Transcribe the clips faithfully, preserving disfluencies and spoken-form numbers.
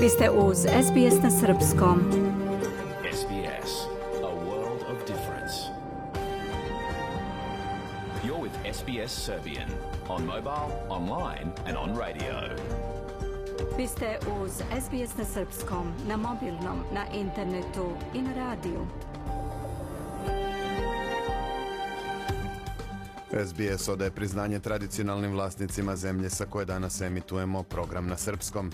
Vi ste uz S B S na srpskom. S B S, a world of difference. You're with S B S Serbian on mobile, online and on radio. Vi ste uz S B S na srpskom, na mobilnom, na internetu i na radiju. S B S odaje priznanje tradicionalnim vlasnicima zemlje sa koje danas emitujemo program na srpskom.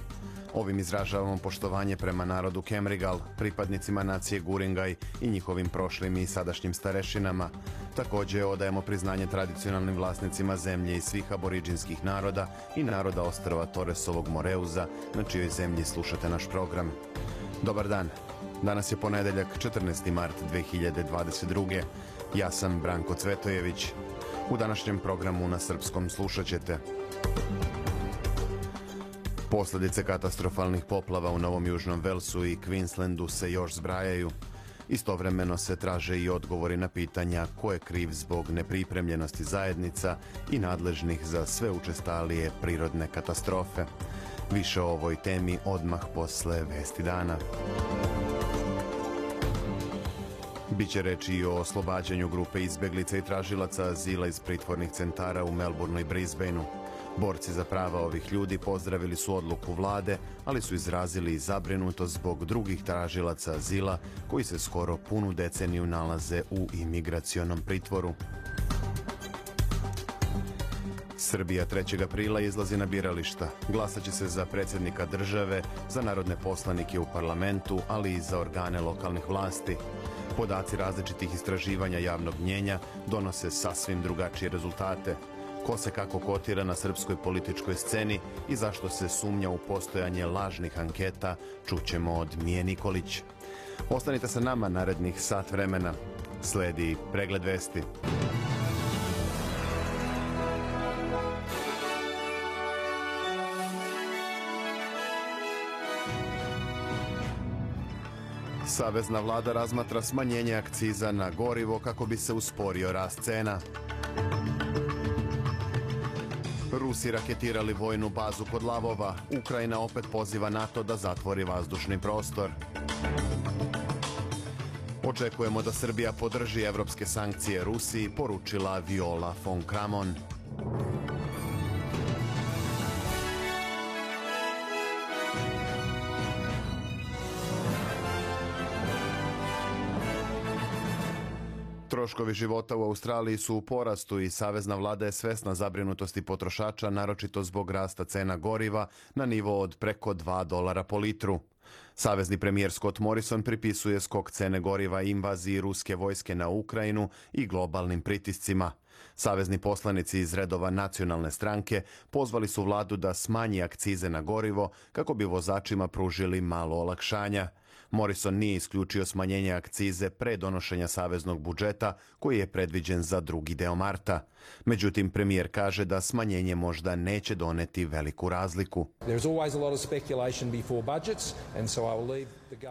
Ovim izražavamo poštovanje prema narodu Kemrigal, pripadnicima nacije Guringaj i njihovim prošlim i sadašnjim starešinama. Također odajemo priznanje tradicionalnim vlasnicima zemlje i svih aboriđinskih naroda i naroda ostrva Torresovog Moreuza, na čijoj zemlji slušate naš program. Dobar dan. Danas je ponedeljak, četrnaesti mart dve hiljade dvadeset druge. Ja sam Branko Cvetojević. U današnjem programu na srpskom slušat ćete: posljedice katastrofalnih poplava u Novom Južnom Velsu i Queenslandu se još zbrajaju. Istovremeno se traže i odgovori na pitanja ko je kriv zbog nepripremljenosti zajednica i nadležnih za sve učestalije prirodne katastrofe. Više o ovoj temi odmah posle vesti dana. Biće reći i o oslobađanju grupe izbjeglica i tražilaca azila iz pritvornih centara u Melbourneu i Brisbaneu. Borci za prava ovih ljudi pozdravili su odluku vlade, ali su izrazili zabrinutost zbog drugih tražilaca azila koji se skoro punu deceniju nalaze u imigracionom pritvoru. Srbija trećeg aprila izlazi na birališta. Glasat će se za predsjednika države, za narodne poslanike u parlamentu, ali i za organe lokalnih vlasti. Podaci različitih istraživanja javnog mnjenja donose sasvim drugačije rezultate. Ko se kako kotira na srpskoj političkoj sceni i zašto se sumnja u postojanje lažnih anketa, čućemo od Mije Nikolić. Ostanite sa nama narednih sat vremena. Sledi pregled vesti. Savezna vlada razmatra smanjenje akciza na gorivo kako bi se usporio rast cena. Rusi raketirali vojnu bazu kod Lavova. Ukrajina opet poziva NATO da zatvori vazdušni prostor. Očekujemo da Srbija podrži evropske sankcije Rusiji, poručila Viola von Kramon. Troškovi života u Australiji su u porastu i savezna vlada je svesna zabrinutosti potrošača, naročito zbog rasta cena goriva na nivo od preko dva dolara po litru. Savezni premijer Scott Morrison pripisuje skok cene goriva invaziji ruske vojske na Ukrajinu i globalnim pritiscima. Savezni poslanici iz redova nacionalne stranke pozvali su vladu da smanji akcize na gorivo kako bi vozačima pružili malo olakšanja. Morrison nije isključio smanjenje akcize pre donošenja saveznog budžeta koji je predviđen za drugi deo marta. Međutim, premijer kaže da smanjenje možda neće doneti veliku razliku.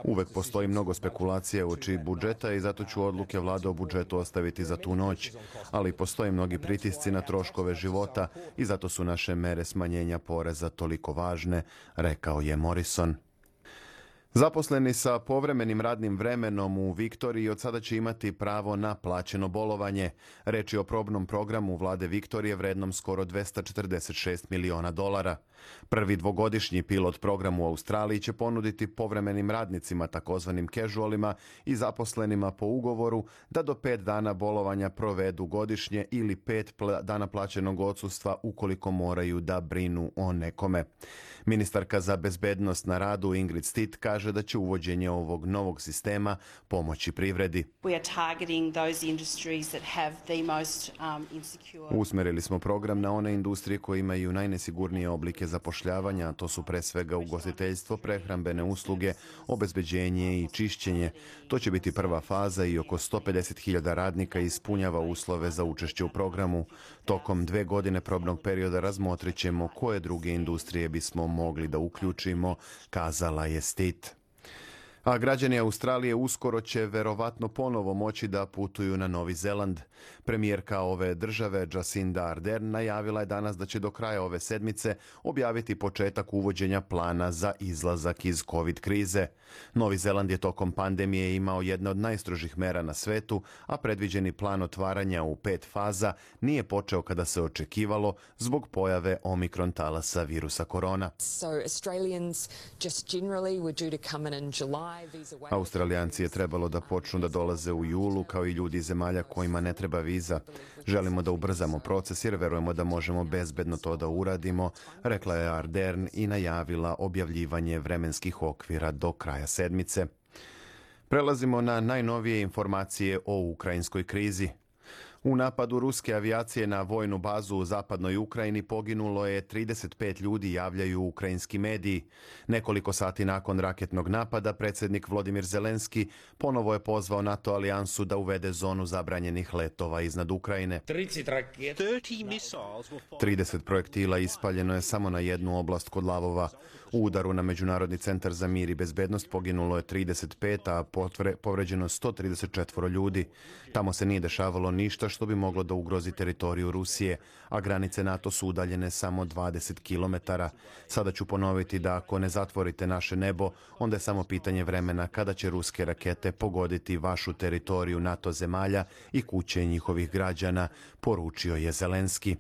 Uvek postoji mnogo spekulacije uoči budžeta i zato ću odluke vlade o budžetu ostaviti za tu noć. Ali postoje mnogi pritisci na troškove života i zato su naše mere smanjenja poreza toliko važne, rekao je Morrison. Zaposleni sa povremenim radnim vremenom u Viktoriji od sada će imati pravo na plaćeno bolovanje. Reč je o probnom programu vlade Viktorije vrednom skoro dvesta četrdeset šest miliona dolara. Prvi dvogodišnji pilot program u Australiji će ponuditi povremenim radnicima, takozvanim casualima i zaposlenima po ugovoru da do pet dana bolovanja provedu godišnje ili pet pl- dana plaćenog odsustva ukoliko moraju da brinu o nekome. Ministarka za bezbednost na radu Ingrid Stitt kaže da će uvođenje ovog novog sistema pomoći privredi. Usmerili smo program na one industrije koje imaju najnesigurnije oblike zapošljavanja, a to su pre svega ugostiteljstvo, prehrambene usluge, obezbeđenje i čišćenje. To će biti prva faza i oko sto pedeset hiljada radnika ispunjava uslove za učešće u programu. Tokom dve godine probnog perioda razmotrit ćemo koje druge industrije bismo mogli da uključimo, kazala je Stitt. A građani Australije uskoro će verovatno ponovo moći da putuju na Novi Zeland. Premijerka ove države, Jacinda Ardern, najavila je danas da će do kraja ove sedmice objaviti početak uvođenja plana za izlazak iz COVID krize. Novi Zeland je tokom pandemije imao jedne od najstrožih mera na svetu, a predviđeni plan otvaranja u pet faza nije počeo kada se očekivalo zbog pojave omikron talasa virusa korona. So Australians just generally were due to come in in July. Australijanci je trebalo da počnu da dolaze u julu, kao i ljudi iz zemalja kojima ne treba viza. Želimo da ubrzamo proces jer verujemo da možemo bezbedno to da uradimo, rekla je Ardern i najavila objavljivanje vremenskih okvira do kraja sedmice. Prelazimo na najnovije informacije o ukrajinskoj krizi. U napadu ruske avijacije na vojnu bazu u zapadnoj Ukrajini poginulo je trideset pet ljudi, javljaju ukrajinski mediji. Nekoliko sati nakon raketnog napada, predsjednik Volodymyr Zelenski ponovo je pozvao NATO alijansu da uvede zonu zabranjenih letova iznad Ukrajine. trideset projektila ispaljeno je samo na jednu oblast kod Lavova. U udaru na Međunarodni centar za mir i bezbednost poginulo je trideset pet, a povređeno sto trideset četiri ljudi. Tamo se nije dešavalo ništa što bi moglo da ugrozi teritoriju Rusije, a granice NATO su udaljene samo dvadeset kilometara. Sada ću ponoviti da ako ne zatvorite naše nebo, onda je samo pitanje vremena kada će ruske rakete pogoditi vašu teritoriju NATO zemalja i kuće njihovih građana, poručio je Zelenski.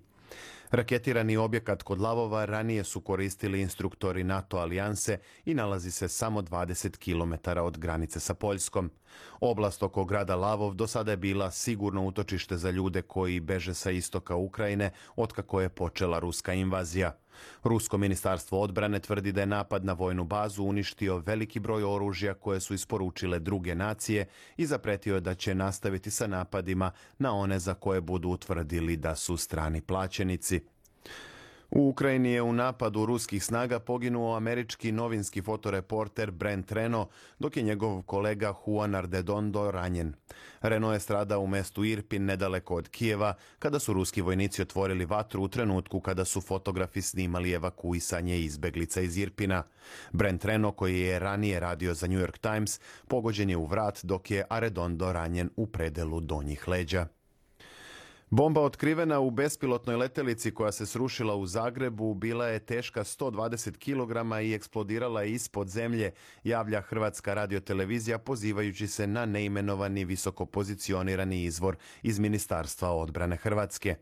Raketirani objekat kod Lavova ranije su koristili instruktori NATO alijanse i nalazi se samo dvadeset kilometara od granice sa Poljskom. Oblast oko grada Lavov do sada je bila sigurno utočište za ljude koji beže sa istoka Ukrajine otkako je počela ruska invazija. Rusko ministarstvo odbrane tvrdi da je napad na vojnu bazu uništio veliki broj oružja koje su isporučile druge nacije i zapretio je da će nastaviti sa napadima na one za koje budu utvrdili da su strani plaćenici. U Ukrajini je u napadu ruskih snaga poginuo američki novinski fotoreporter Brent Reno, dok je njegov kolega Juan Arredondo ranjen. Reno je stradao u mestu Irpin, nedaleko od Kijeva, kada su ruski vojnici otvorili vatru u trenutku kada su fotografi snimali evakuisanje izbeglica iz Irpina. Brent Reno, koji je ranije radio za New York Times, pogođen je u vrat, dok je Arredondo ranjen u predelu donjih leđa. Bomba otkrivena u bespilotnoj letelici koja se srušila u Zagrebu bila je teška sto dvadeset kilograma i eksplodirala je ispod zemlje, javlja Hrvatska radiotelevizija pozivajući se na neimenovani visoko pozicionirani izvor iz Ministarstva odbrane Hrvatske.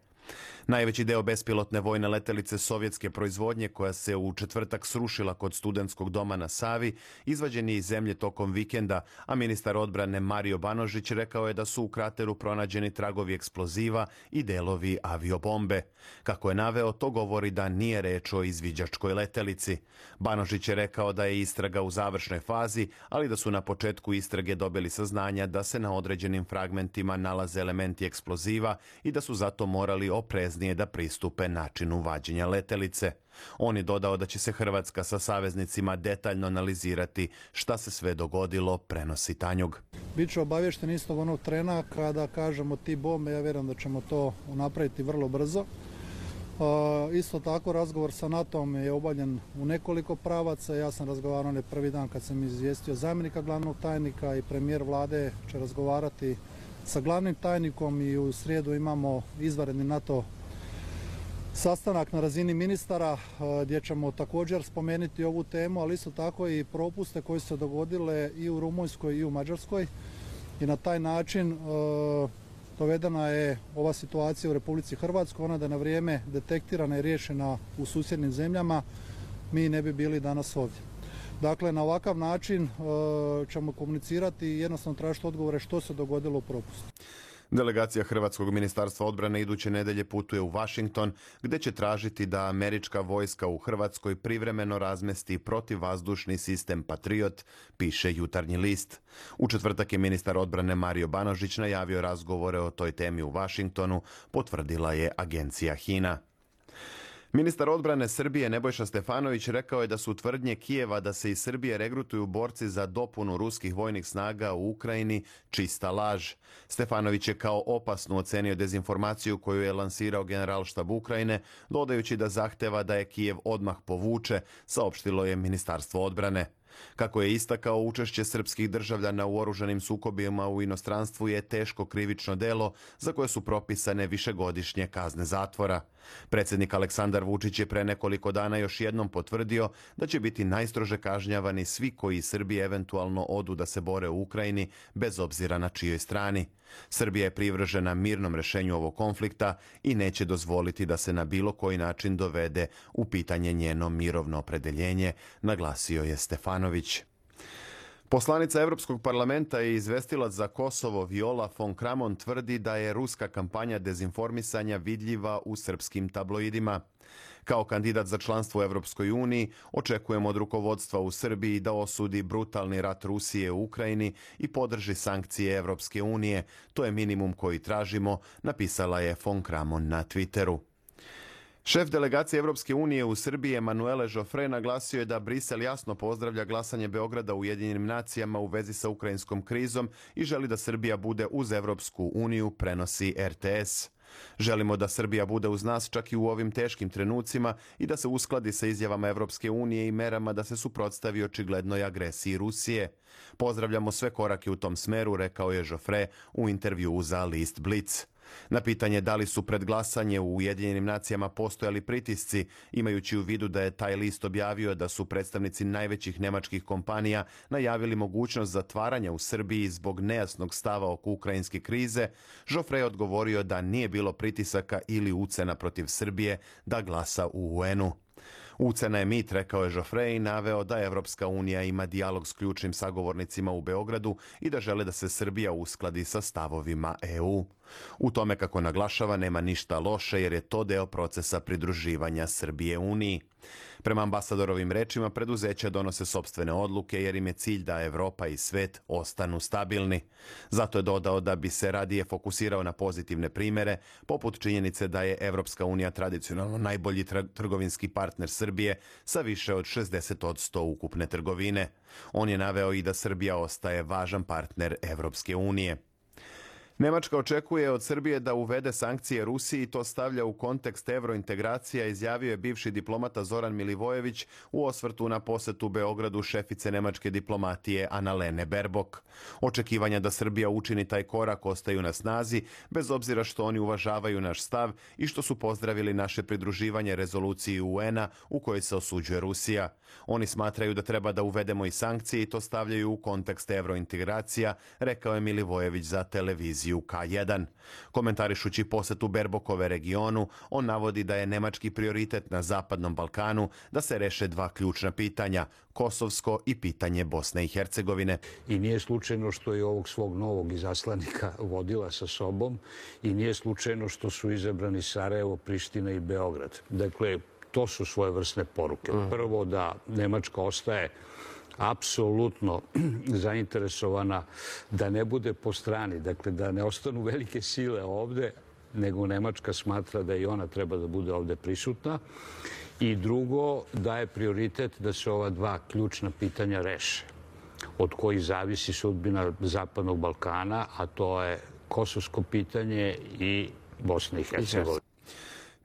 Najveći deo bespilotne vojne letelice sovjetske proizvodnje koja se u četvrtak srušila kod Studentskog doma na Savi izvađen je iz zemlje tokom vikenda, a ministar odbrane Mario Banožić rekao je da su u krateru pronađeni tragovi eksploziva i delovi aviobombe. Kako je naveo, to govori da nije reč o izviđačkoj letelici. Banožić je rekao da je istraga u završnoj fazi, ali da su na početku istrage dobili saznanja da se na određenim fragmentima nalaze elementi eksploziva i da su zato morali opreznije da pristupe načinu vađenja letelice. On je dodao da će se Hrvatska sa saveznicima detaljno analizirati šta se sve dogodilo, prenosi Tanjug. Biću obavješten istog onog trena kada kažemo ti bombe, ja vjerujem da ćemo to napraviti vrlo brzo. Uh, isto tako razgovor sa NATO-om je obavljen u nekoliko pravaca. Ja sam razgovarao ne prvi dan kad sam izvijestio zamjenika glavnog tajnika i premijer vlade će razgovarati sa glavnim tajnikom i u srijedu imamo izvanredni NATO sastanak na razini ministara gdje ćemo također spomenuti ovu temu, ali isto tako i propuste koje su se dogodile i u Rumunjskoj i u Mađarskoj i na taj način uh, dovedena je ova situacija u Republici Hrvatskoj, ona da je na vrijeme detektirana i riješena u susjednim zemljama, mi ne bi bili danas ovdje. Dakle, na ovakav način uh, ćemo komunicirati i jednostavno tražiti odgovore što se dogodilo u propustu. Delegacija Hrvatskog ministarstva odbrane iduće nedelje putuje u Washington, gdje će tražiti da američka vojska u Hrvatskoj privremeno razmesti protivvazdušni sistem Patriot, piše Jutarnji list. U četvrtak je ministar odbrane Mario Banožić najavio razgovore o toj temi u Washingtonu, potvrdila je agencija HINA. Ministar odbrane Srbije Nebojša Stefanović rekao je da su tvrdnje Kijeva da se iz Srbije regrutuju borci za dopunu ruskih vojnih snaga u Ukrajini čista laž. Stefanović je kao opasnu ocenio dezinformaciju koju je lansirao Generalštab Ukrajine, dodajući da zahteva da je Kijev odmah povuče, saopštilo je Ministarstvo odbrane. Kako je istakao, učešće srpskih državljana u oružanim sukobima u inostranstvu je teško krivično delo za koje su propisane višegodišnje kazne zatvora. Predsjednik Aleksandar Vučić je pre nekoliko dana još jednom potvrdio da će biti najstrože kažnjavani svi koji iz Srbije eventualno odu da se bore u Ukrajini, bez obzira na čijoj strani. Srbija je privržena mirnom rešenju ovog konflikta i neće dozvoliti da se na bilo koji način dovede u pitanje njeno mirovno opredeljenje, naglasio je Stefanović. Poslanica Evropskog parlamenta i izvestilac za Kosovo Viola von Kramon tvrdi da je ruska kampanja dezinformisanja vidljiva u srpskim tabloidima. Kao kandidat za članstvo u Evropskoj uniji očekujemo od rukovodstva u Srbiji da osudi brutalni rat Rusije u Ukrajini i podrži sankcije Evropske unije. To je minimum koji tražimo, napisala je von Kramon na Twitteru. Šef delegacije Evropske unije u Srbiji Emanuele Joffre naglasio je da Brisel jasno pozdravlja glasanje Beograda u Ujedinjenim nacijama u vezi sa ukrajinskom krizom i želi da Srbija bude uz Evropsku uniju, prenosi R T S. Želimo da Srbija bude uz nas čak i u ovim teškim trenucima i da se uskladi sa izjavama Evropske unije i merama da se suprotstavi očiglednoj agresiji Rusije. Pozdravljamo sve korake u tom smeru, rekao je Joffre u intervjuu za list Blitz. Na pitanje da li su pred glasanje u Ujedinjenim nacijama postojali pritisci, imajući u vidu da je taj list objavio da su predstavnici najvećih nemačkih kompanija najavili mogućnost zatvaranja u Srbiji zbog nejasnog stava oko ukrajinske krize, Joffre je odgovorio da nije bilo pritisaka ili ucena protiv Srbije da glasa u U N-u. Ucena je mit, rekao je Joffre i naveo da Evropska unija ima dijalog s ključnim sagovornicima u Beogradu i da žele da se Srbija uskladi sa stavovima E U. U tome, kako naglašava, nema ništa loše jer je to deo procesa pridruživanja Srbije Uniji. Prema ambasadorovim rečima, preduzeća donose sopstvene odluke jer im je cilj da Evropa i svet ostanu stabilni. Zato je dodao da bi se radije fokusirao na pozitivne primere, poput činjenice da je Evropska unija tradicionalno najbolji trgovinski partner Srbije sa više od šezdeset posto ukupne trgovine. On je naveo i da Srbija ostaje važan partner Evropske unije. Nemačka očekuje od Srbije da uvede sankcije Rusiji i to stavlja u kontekst evrointegracija, izjavio je bivši diplomata Zoran Milivojević u osvrtu na posetu Beogradu šefice nemačke diplomatije Annalene Baerbock. Očekivanja da Srbija učini taj korak ostaju na snazi, bez obzira što oni uvažavaju naš stav i što su pozdravili naše pridruživanje rezoluciji U N-a u kojoj se osuđuje Rusija. Oni smatraju da treba da uvedemo i sankcije i to stavljaju u kontekst evrointegracija, rekao je Milivojević za televiziju K jedan. Komentarišući posetu Baerbockove regionu, on navodi da je nemački prioritet na Zapadnom Balkanu da se reše dva ključna pitanja, kosovsko i pitanje Bosne i Hercegovine. I nije slučajno što je ovog svog novog izaslanika vodila sa sobom i nije slučajno što su izabrani Sarajevo, Priština i Beograd. Dakle, to su svojevrsne poruke. Prvo, da Nemačka ostaje apsolutno zainteresovana da ne bude po strani, dakle da ne ostanu velike sile ovde, nego Nemačka smatra da i ona treba da bude ovde prisutna. I drugo, da je prioritet da se ova dva ključna pitanja reše, od kojih zavisi sudbina Zapadnog Balkana, a to je kosovsko pitanje i Bosna i Hercegovina.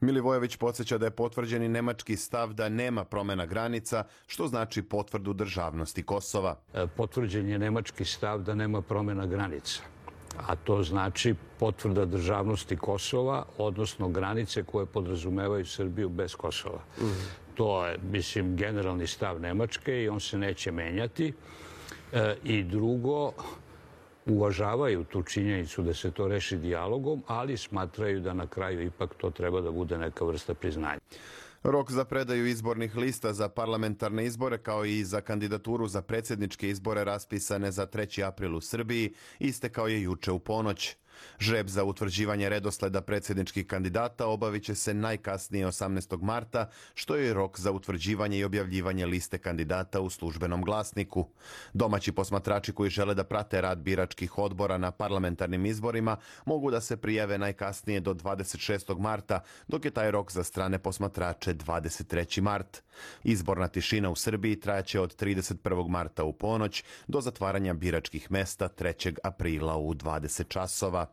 Milivojević podsjeća da je potvrđeni nemački stav da nema promjena granica, što znači potvrdu državnosti Kosova. Potvrđen je nemački stav da nema promjena granica, a to znači potvrda državnosti Kosova, odnosno granice koje podrazumevaju Srbiju bez Kosova. To je, mislim, generalni stav Nemačke i on se neće menjati. I drugo, uvažavaju tu činjenicu da se to reši dijalogom, ali smatraju da na kraju ipak to treba da bude neka vrsta priznanja. Rok za predaju izbornih lista za parlamentarne izbore kao i za kandidaturu za predsjedničke izbore raspisane za treći april u Srbiji istekao je juče u ponoć. Žreb za utvrđivanje redosleda predsjedničkih kandidata obavit će se najkasnije osamnaestog marta, što je rok za utvrđivanje i objavljivanje liste kandidata u službenom glasniku. Domaći posmatrači koji žele da prate rad biračkih odbora na parlamentarnim izborima mogu da se prijave najkasnije do dvadeset šestog marta, dok je taj rok za strane posmatrače dvadeset treći mart. Izborna tišina u Srbiji trajaće od trideset prvog marta u ponoć do zatvaranja biračkih mesta trećeg aprila u dvadeset časova.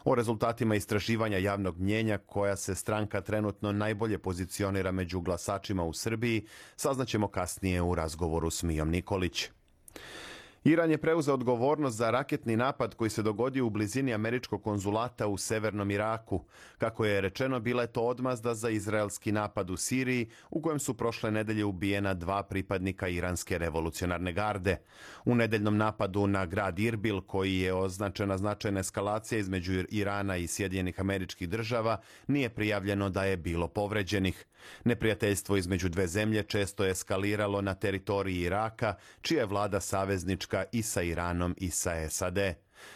O rezultatima istraživanja javnog mnjenja, koja se stranka trenutno najbolje pozicionira među glasačima u Srbiji, saznaćemo kasnije u razgovoru s Mijom Nikolić. Iran je preuzeo odgovornost za raketni napad koji se dogodio u blizini američkog konzulata u severnom Iraku. Kako je rečeno, bila je to odmazda za izraelski napad u Siriji, u kojem su prošle nedelje ubijena dva pripadnika iranske revolucionarne garde. U nedeljnom napadu na grad Irbil, koji je označena značajna eskalacija između Irana i Sjedinjenih Američkih Država, nije prijavljeno da je bilo povređenih. Neprijateljstvo između dve zemlje često je eskaliralo na teritoriji Iraka, čija je vlada saveznička i sa Iranom i sa S A D.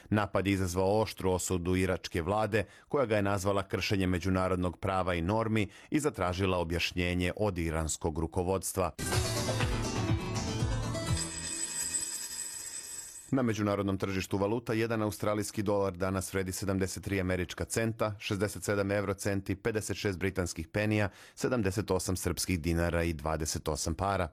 Napad je izazvao oštru osudu iračke vlade, koja ga je nazvala kršenjem međunarodnog prava i normi i zatražila objašnjenje od iranskog rukovodstva. Na međunarodnom tržištu valuta jedan australijski dolar danas vredi sedamdeset tri američka centa, šezdeset sedam eurocenti, pedeset šest britanskih penija, sedamdeset osam srpskih dinara i dvadeset osam para.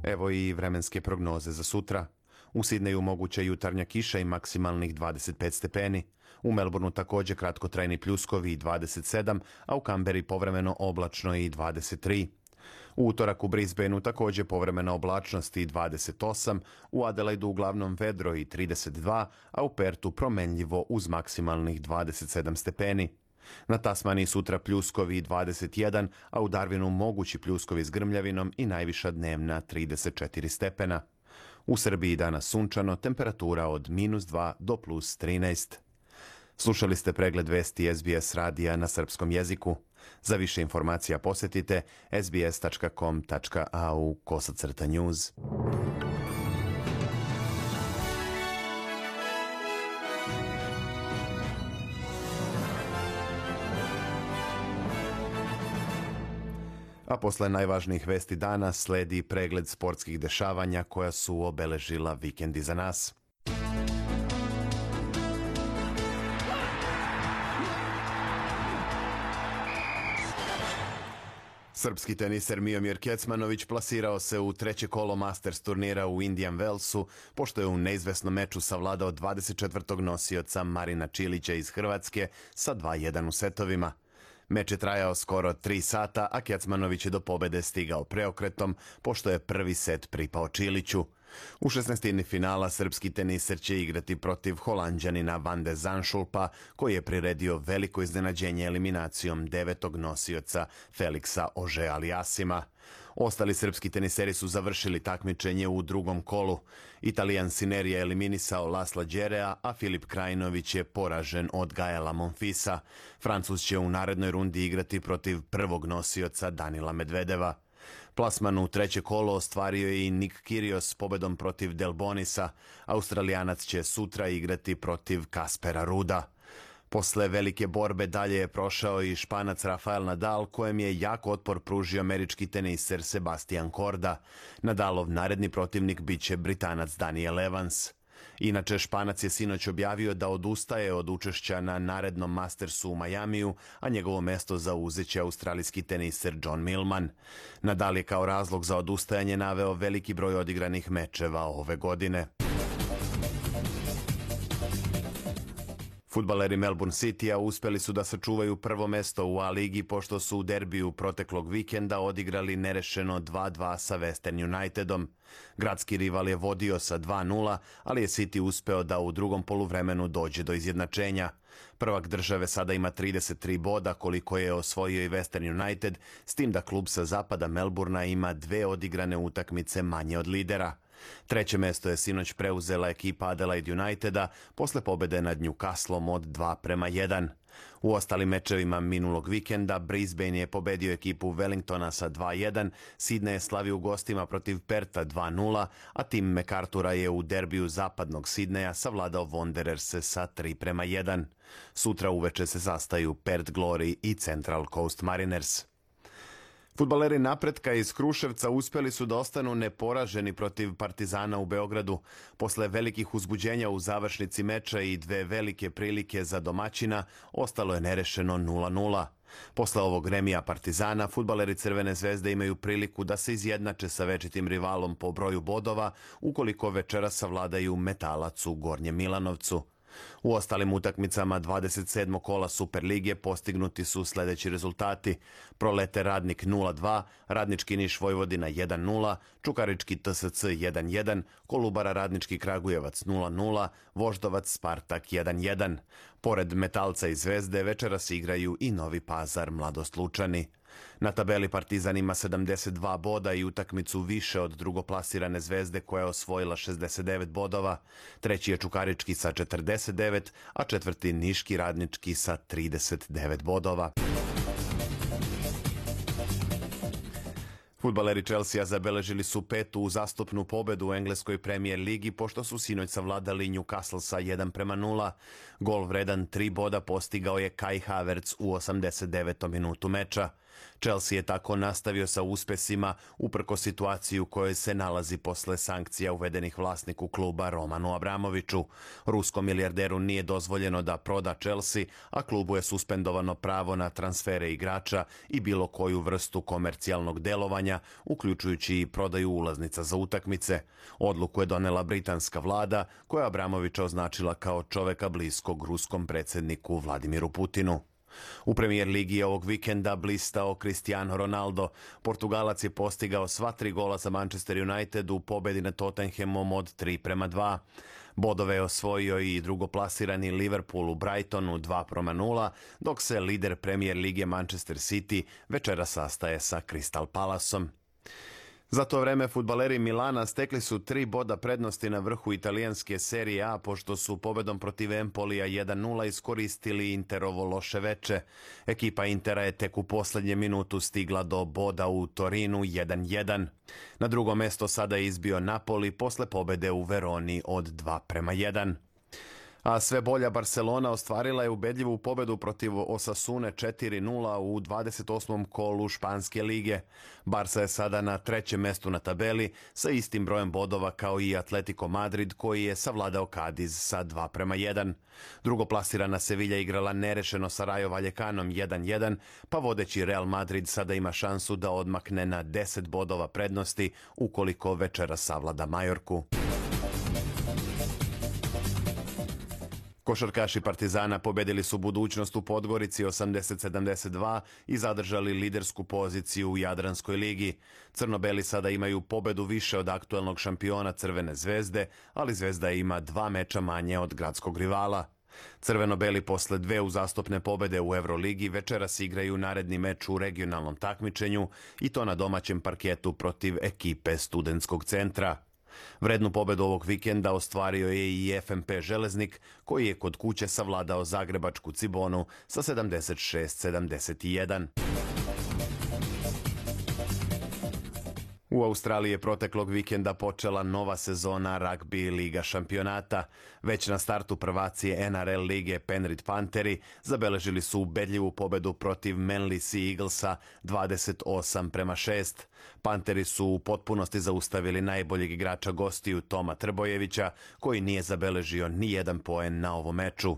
Evo i vremenske prognoze za sutra. U Sidneju moguća jutarnja kiša i maksimalnih dvadeset pet stepeni. U Melbourneu također kratkotrajni pljuskovi i dvadeset sedam, a u Kamberi povremeno oblačno i dvadeset tri. U utorak u Brisbaneu također povremena oblačnost i dvadeset osam, u Adelaidu uglavnom vedro i trideset dva, a u Pertu promenljivo uz maksimalnih dvadeset sedam stepeni. Na Tasmaniji sutra pljuskovi i dvadeset jedan, a u Darwinu mogući pljuskovi s grmljavinom i najviša dnevna trideset četiri stepena. U Srbiji danas sunčano, temperatura od minus dva do plus trinaest. Slušali ste pregled vesti S B S radija na srpskom jeziku. Za više informacija posjetite s b s tačka com tačka a u kosacrta news. A posle najvažnijih vesti dana sledi pregled sportskih dešavanja koja su obeležila vikend iza nas. Srpski teniser Miomir Kecmanović plasirao se u treće kolo Masters turnira u Indian Wellsu, pošto je u neizvesnom meču savladao dvadeset četvrtog nosioca Marina Čilića iz Hrvatske sa dva jedan u setovima. Meč je trajao skoro tri sata, a Kecmanović je do pobede stigao preokretom, pošto je prvi set pripao Čiliću. U šesnaestini finala srpski teniser će igrati protiv Holanđanina Van de Zandschulpa, koji je priredio veliko iznenađenje eliminacijom devetog nosioca Feliksa Auger-Aliassima. Ostali srpski teniseri su završili takmičenje u drugom kolu. Italijan Sinner je eliminisao Lasla Đerea, a Filip Krajinović je poražen od Gaela Monfisa. Francuz će u narednoj rundi igrati protiv prvog nosioca Danila Medvedeva. Plasman u treće kolo ostvario je i Nick Kyrgios s pobedom protiv Delbonisa. Australijanac će sutra igrati protiv Kaspera Ruda. Posle velike borbe dalje je prošao i Španac Rafael Nadal, kojem je jak otpor pružio američki teniser Sebastian Korda. Nadalov naredni protivnik biće Britanac Daniel Evans. Inače, Španac je sinoć objavio da odustaje od učešća na narednom Mastersu u Majamiju, a njegovo mesto zauzeće australijski teniser John Millman. Nadal je kao razlog za odustajanje naveo veliki broj odigranih mečeva ove godine. Fudbaleri Melbourne Citya uspeli su da sačuvaju prvo mesto u A-ligi, pošto su u derbiju proteklog vikenda odigrali nerešeno dva dva sa Western Unitedom. Gradski rival je vodio sa dva nula, ali je City uspeo da u drugom poluvremenu dođe do izjednačenja. Prvak države sada ima trideset tri boda, koliko je osvojio i Western United, s tim da klub sa zapada Melburna ima dve odigrane utakmice manje od lidera. Treće mesto je sinoć preuzela ekipa Adelaide Uniteda posle pobede nad Newcastlom od dva prema jedan. U ostalim mečevima minulog vikenda Brisbane je pobedio ekipu Wellingtona sa dva jedan, Sydney je slavio u gostima protiv Perta dva nula, a tim MacArthura je u derbiju zapadnog Sidneja savladao Wandererse sa tri prema jedan. Sutra uveče se sastaju Perth Glory i Central Coast Mariners. Fudbaleri Napretka iz Kruševca uspjeli su da ostanu neporaženi protiv Partizana u Beogradu. Posle velikih uzbuđenja u završnici meča i dve velike prilike za domaćina, ostalo je nerešeno nula nula. Posle ovog remija Partizana, fudbaleri Crvene zvezde imaju priliku da se izjednače sa večitim rivalom po broju bodova ukoliko večeras savladaju Metalac u Gornjem Milanovcu. U ostalim utakmicama dvadeset sedmog kola Superlige postignuti su sljedeći rezultati: Prolete Radnik nula dva, Radnički Niš Vojvodina jedan nula, Čukarički T S C jedan jedan, Kolubara Radnički Kragujevac nula nula, Voždovac Spartak jedan jedan. Pored Metalca i Zvezde večeras igraju i Novi Pazar Mladost Lučani. Na tabeli Partizan ima sedamdeset dva boda i utakmicu više od drugoplasirane Zvezde koja je osvojila šezdeset devet bodova. Treći je Čukarički sa četrdeset devet, a četvrti Niški Radnički sa trideset devet bodova. Fudbaleri Chelsea zabeležili su petu uzastopnu pobedu u engleskoj Premier ligi pošto su sinoć savladali Newcastle sa jedan prema nula. Gol vredan tri boda postigao je Kai Havertz u osamdeset devetom minutu meča. Chelsea je tako nastavio sa uspesima uprkos situaciji u kojoj se nalazi posle sankcija uvedenih vlasniku kluba Romanu Abramoviću. Ruskom milijarderu nije dozvoljeno da proda Chelsea, a klubu je suspendovano pravo na transfere igrača i bilo koju vrstu komercijalnog delovanja, uključujući i prodaju ulaznica za utakmice. Odluku je donela britanska vlada, koja je Abramovića označila kao čoveka bliskog ruskom predsjedniku Vladimiru Putinu. U Premier ligi ovog vikenda blistao Cristiano Ronaldo. Portugalac je postigao sva tri gola za Manchester United u pobedi nad Tottenhamom od tri prema dva. Bodove je osvojio i drugoplasirani Liverpool u Brightonu dva prema nula, dok se lider Premier lige Manchester City večera sastaje sa Crystal Palaceom. Za to vreme fudbaleri Milana stekli su tri boda prednosti na vrhu italijanske serije A pošto su pobedom protiv Empolija jedan nula iskoristili Interovo loše veče. Ekipa Intera je tek u posljednje minutu stigla do boda u Torinu jedan jedan. Na drugo mesto sada je izbio Napoli posle pobede u Veroni od dva prema jedan. A sve bolja Barcelona ostvarila je ubedljivu pobedu protiv Osasune četiri nula u dvadeset osmom kolu Španske lige. Barca je sada na trećem mestu na tabeli sa istim brojem bodova kao i Atletico Madrid koji je savladao Cadiz sa dva prema jedan. Drugoplasirana Sevilla igrala nerešeno sa Rayo Vallecanom jedan jedan, pa vodeći Real Madrid sada ima šansu da odmakne na deset bodova prednosti ukoliko večera savlada Majorku. Košarkaši Partizana pobedili su Budućnost u Podgorici osamdeset sedamdeset dva i zadržali lidersku poziciju u Jadranskoj ligi. Crno-beli sada imaju pobedu više od aktuelnog šampiona Crvene zvezde, ali Zvezda ima dva meča manje od gradskog rivala. Crveno-beli posle dve uzastopne pobede u Euroligi večeras igraju naredni meč u regionalnom takmičenju i to na domaćem parketu protiv ekipe Studentskog centra. Vrednu pobedu ovog vikenda ostvario je i F M P Železnik, koji je kod kuće savladao zagrebačku Cibonu sa sedamdeset šest sedamdeset jedan. U Australiji je proteklog vikenda počela nova sezona ragbi Liga šampionata. Već na startu prvaci N R L lige Penrith Pantheri zabeležili su ubedljivu pobedu protiv Manly Sea Eaglesa dvadeset osam prema šest. Pantheri su u potpunosti zaustavili najboljeg igrača gostiju Toma Trbojevića, koji nije zabeležio ni jedan poen na ovom meču.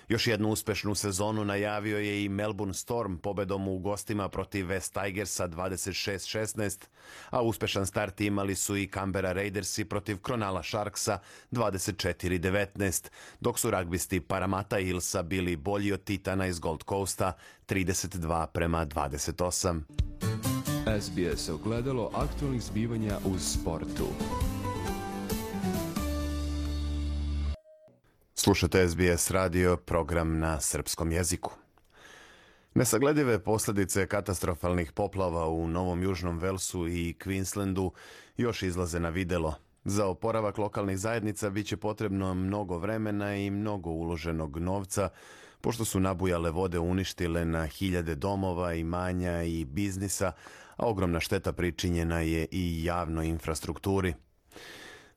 Još jednu uspešnu sezonu najavio je i Melbourne Storm pobedom u gostima protiv West Tigersa dvadeset šest šesnaest, a uspešan start imali su i Canberra Raidersi protiv Cronulla Sharksa dvadeset četiri devetnaest, dok su ragbisti Parramatta Hillsa bili bolji od Titana iz Gold Coasta trideset dva prema dvadeset osam. S B S ogledalo aktualnih zbivanja u sportu. Slušate S B S radio, program na srpskom jeziku. Nesagledive posljedice katastrofalnih poplava u Novom Južnom Velsu i Queenslandu još izlaze na videlo. Za oporavak lokalnih zajednica bit će potrebno mnogo vremena i mnogo uloženog novca, pošto su nabujale vode uništile na hiljade domova, imanja i biznisa, a ogromna šteta pričinjena je i javnoj infrastrukturi.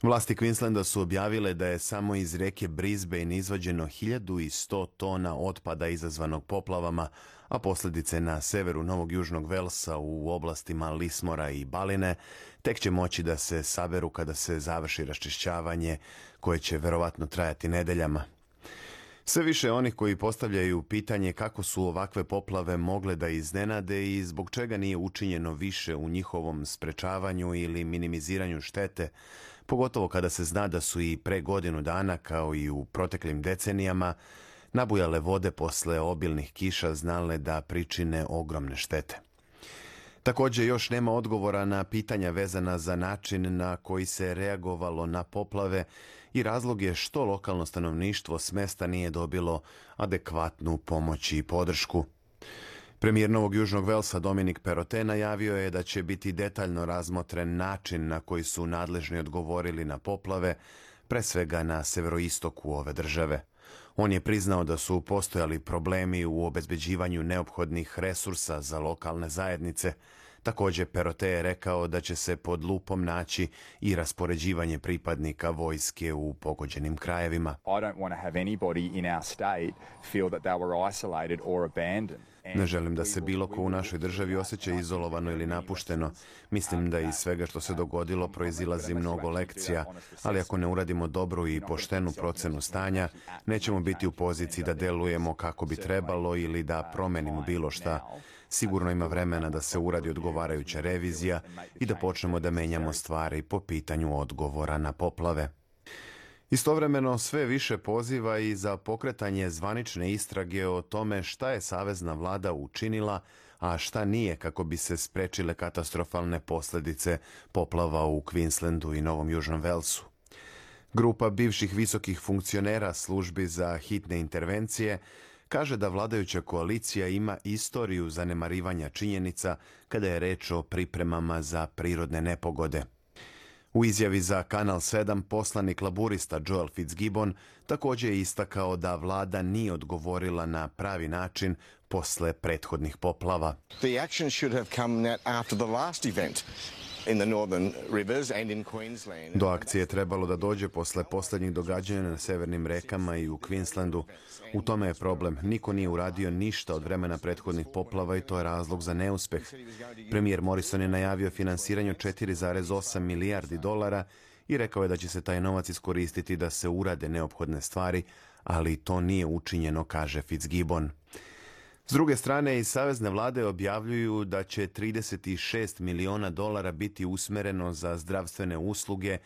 Vlasti Queenslanda su objavile da je samo iz reke Brisbane izvađeno hiljadu sto tona otpada izazvanog poplavama, a posljedice na severu Novog Južnog Velsa u oblastima Lismora i Baline tek će moći da se saberu kada se završi raščišćavanje koje će verovatno trajati nedeljama. Sve više onih koji postavljaju pitanje kako su ovakve poplave mogle da iznenade i zbog čega nije učinjeno više u njihovom sprečavanju ili minimiziranju štete, pogotovo kada se zna da su i pre godinu dana, kao i u proteklim decenijama, nabujale vode posle obilnih kiša znale da pričine ogromne štete. Također još nema odgovora na pitanja vezana za način na koji se reagovalo na poplave i razlog je što lokalno stanovništvo s mesta nije dobilo adekvatnu pomoć i podršku. Premijer Novog Južnog Velsa Dominic Perrottet najavio je da će biti detaljno razmotren način na koji su nadležni odgovorili na poplave, pre svega na severoistoku ove države. On je priznao da su postojali problemi u obezbeđivanju neophodnih resursa za lokalne zajednice. Također, Perrottet je rekao da će se pod lupom naći i raspoređivanje pripadnika vojske u pogođenim krajevima. Ne želim da se bilo ko u našoj državi osjeća izolovano ili napušteno. Mislim da iz svega što se dogodilo proizilazi mnogo lekcija, ali ako ne uradimo dobru i poštenu procenu stanja, nećemo biti u poziciji da delujemo kako bi trebalo ili da promenimo bilo šta. Sigurno ima vremena da se uradi odgovarajuća revizija i da počnemo da menjamo stvari po pitanju odgovora na poplave. Istovremeno sve više poziva i za pokretanje zvanične istrage o tome šta je savezna vlada učinila, a šta nije kako bi se sprečile katastrofalne posljedice poplava u Queenslandu i Novom Južnom Velsu. Grupa bivših visokih funkcionera službi za hitne intervencije kaže da vladajuća koalicija ima istoriju zanemarivanja činjenica kada je reč o pripremama za prirodne nepogode. U izjavi za Kanal sedam poslanik laburista Joel Fitzgibbon također je istakao da vlada nije odgovorila na pravi način posle prethodnih poplava. The action should have come after the last event. Do akcije je trebalo da dođe posle posljednjih događanja na severnim rekama i u Queenslandu. U tome je problem. Niko nije uradio ništa od vremena prethodnih poplava i to je razlog za neuspeh. Premijer Morrison je najavio finansiranje četiri zarez osam milijardi dolara i rekao je da će se taj novac iskoristiti da se urade neophodne stvari, ali to nije učinjeno, kaže Fitzgibbon. S druge strane, iz savezne vlade objavljuju da će trideset šest miliona dolara biti usmereno za zdravstvene usluge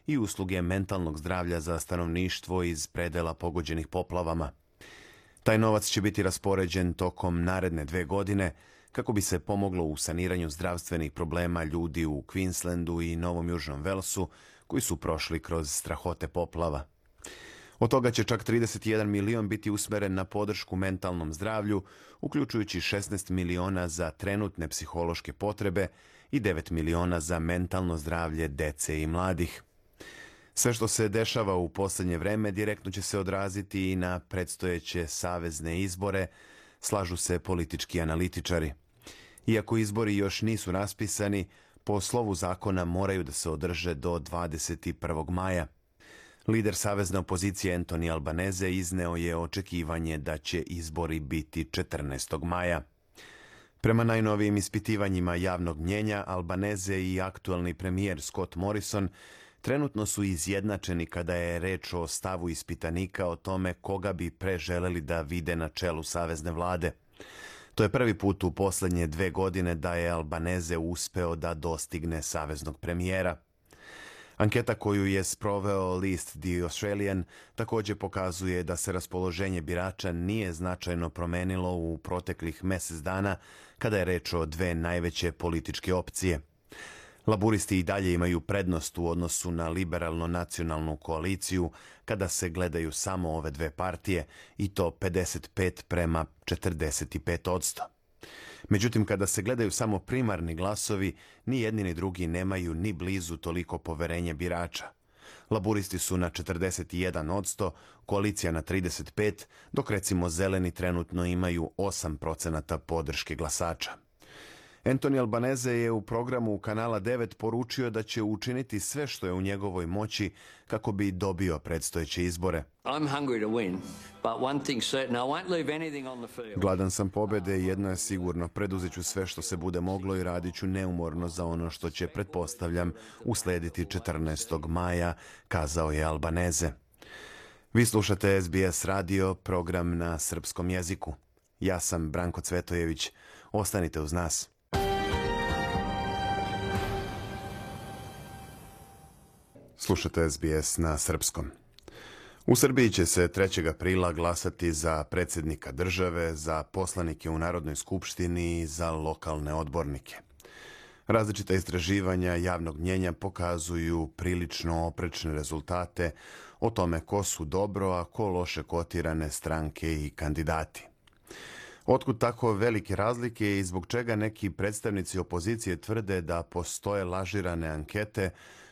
i usluge mentalnog zdravlja za stanovništvo iz predela pogođenih poplavama. Taj novac će biti raspoređen tokom naredne dve godine kako bi se pomoglo u saniranju zdravstvenih problema ljudi u Queenslandu i Novom Južnom Velsu koji su prošli kroz strahote poplava. Od toga će čak trideset jedan milion biti usmeren na podršku mentalnom zdravlju, uključujući šesnaest miliona za trenutne psihološke potrebe i devet miliona za mentalno zdravlje dece i mladih. Sve što se dešava u posljednje vreme direktno će se odraziti i na predstojeće savezne izbore, slažu se politički analitičari. Iako izbori još nisu raspisani, po slovu zakona moraju da se održe do dvadeset prvog maja. Lider savezne opozicije Anthony Albanese izneo je očekivanje da će izbori biti četrnaestog maja. Prema najnovijim ispitivanjima javnog mnjenja, Albanese i aktualni premijer Scott Morrison trenutno su izjednačeni kada je reč o stavu ispitanika o tome koga bi preželeli da vide na čelu savezne vlade. To je prvi put u posljednje dve godine da je Albanese uspeo da dostigne saveznog premijera. Anketa koju je sproveo list The Australian također pokazuje da se raspoloženje birača nije značajno promenilo u proteklih mjesec dana kada je reč o dve najveće političke opcije. Laburisti i dalje imaju prednost u odnosu na liberalno-nacionalnu koaliciju kada se gledaju samo ove dve partije i to pedeset pet prema četrdeset pet odsto. Međutim, kada se gledaju samo primarni glasovi, ni jedni ni drugi nemaju ni blizu toliko poverenje birača. Laburisti su na četrdeset jedan odsto, koalicija na trideset pet, dok recimo zeleni trenutno imaju osam procenata podrške glasača. Anthony Albanese je u programu Kanala devet poručio da će učiniti sve što je u njegovoj moći kako bi dobio predstojeće izbore. Gladan sam pobjede i jedno je sigurno, preduzet ću sve što se bude moglo i radit ću neumorno za ono što će, pretpostavljam, uslediti četrnaestog maja, kazao je Albanese. Vi slušate S B S radio, program na srpskom jeziku. Ja sam Branko Cvetojević. Ostanite uz nas. Slušate S B S na srpskom. U Srbiji će se trećeg aprila glasati za predsjednika države, za poslanike u Narodnoj skupštini i za lokalne odbornike. Različita istraživanja javnog mnjenja pokazuju prilično oprečne rezultate o tome ko su dobro, a ko loše kotirane stranke i kandidati. Otkud tako velike razlike i zbog čega neki predstavnici opozicije tvrde da postoje lažirane ankete,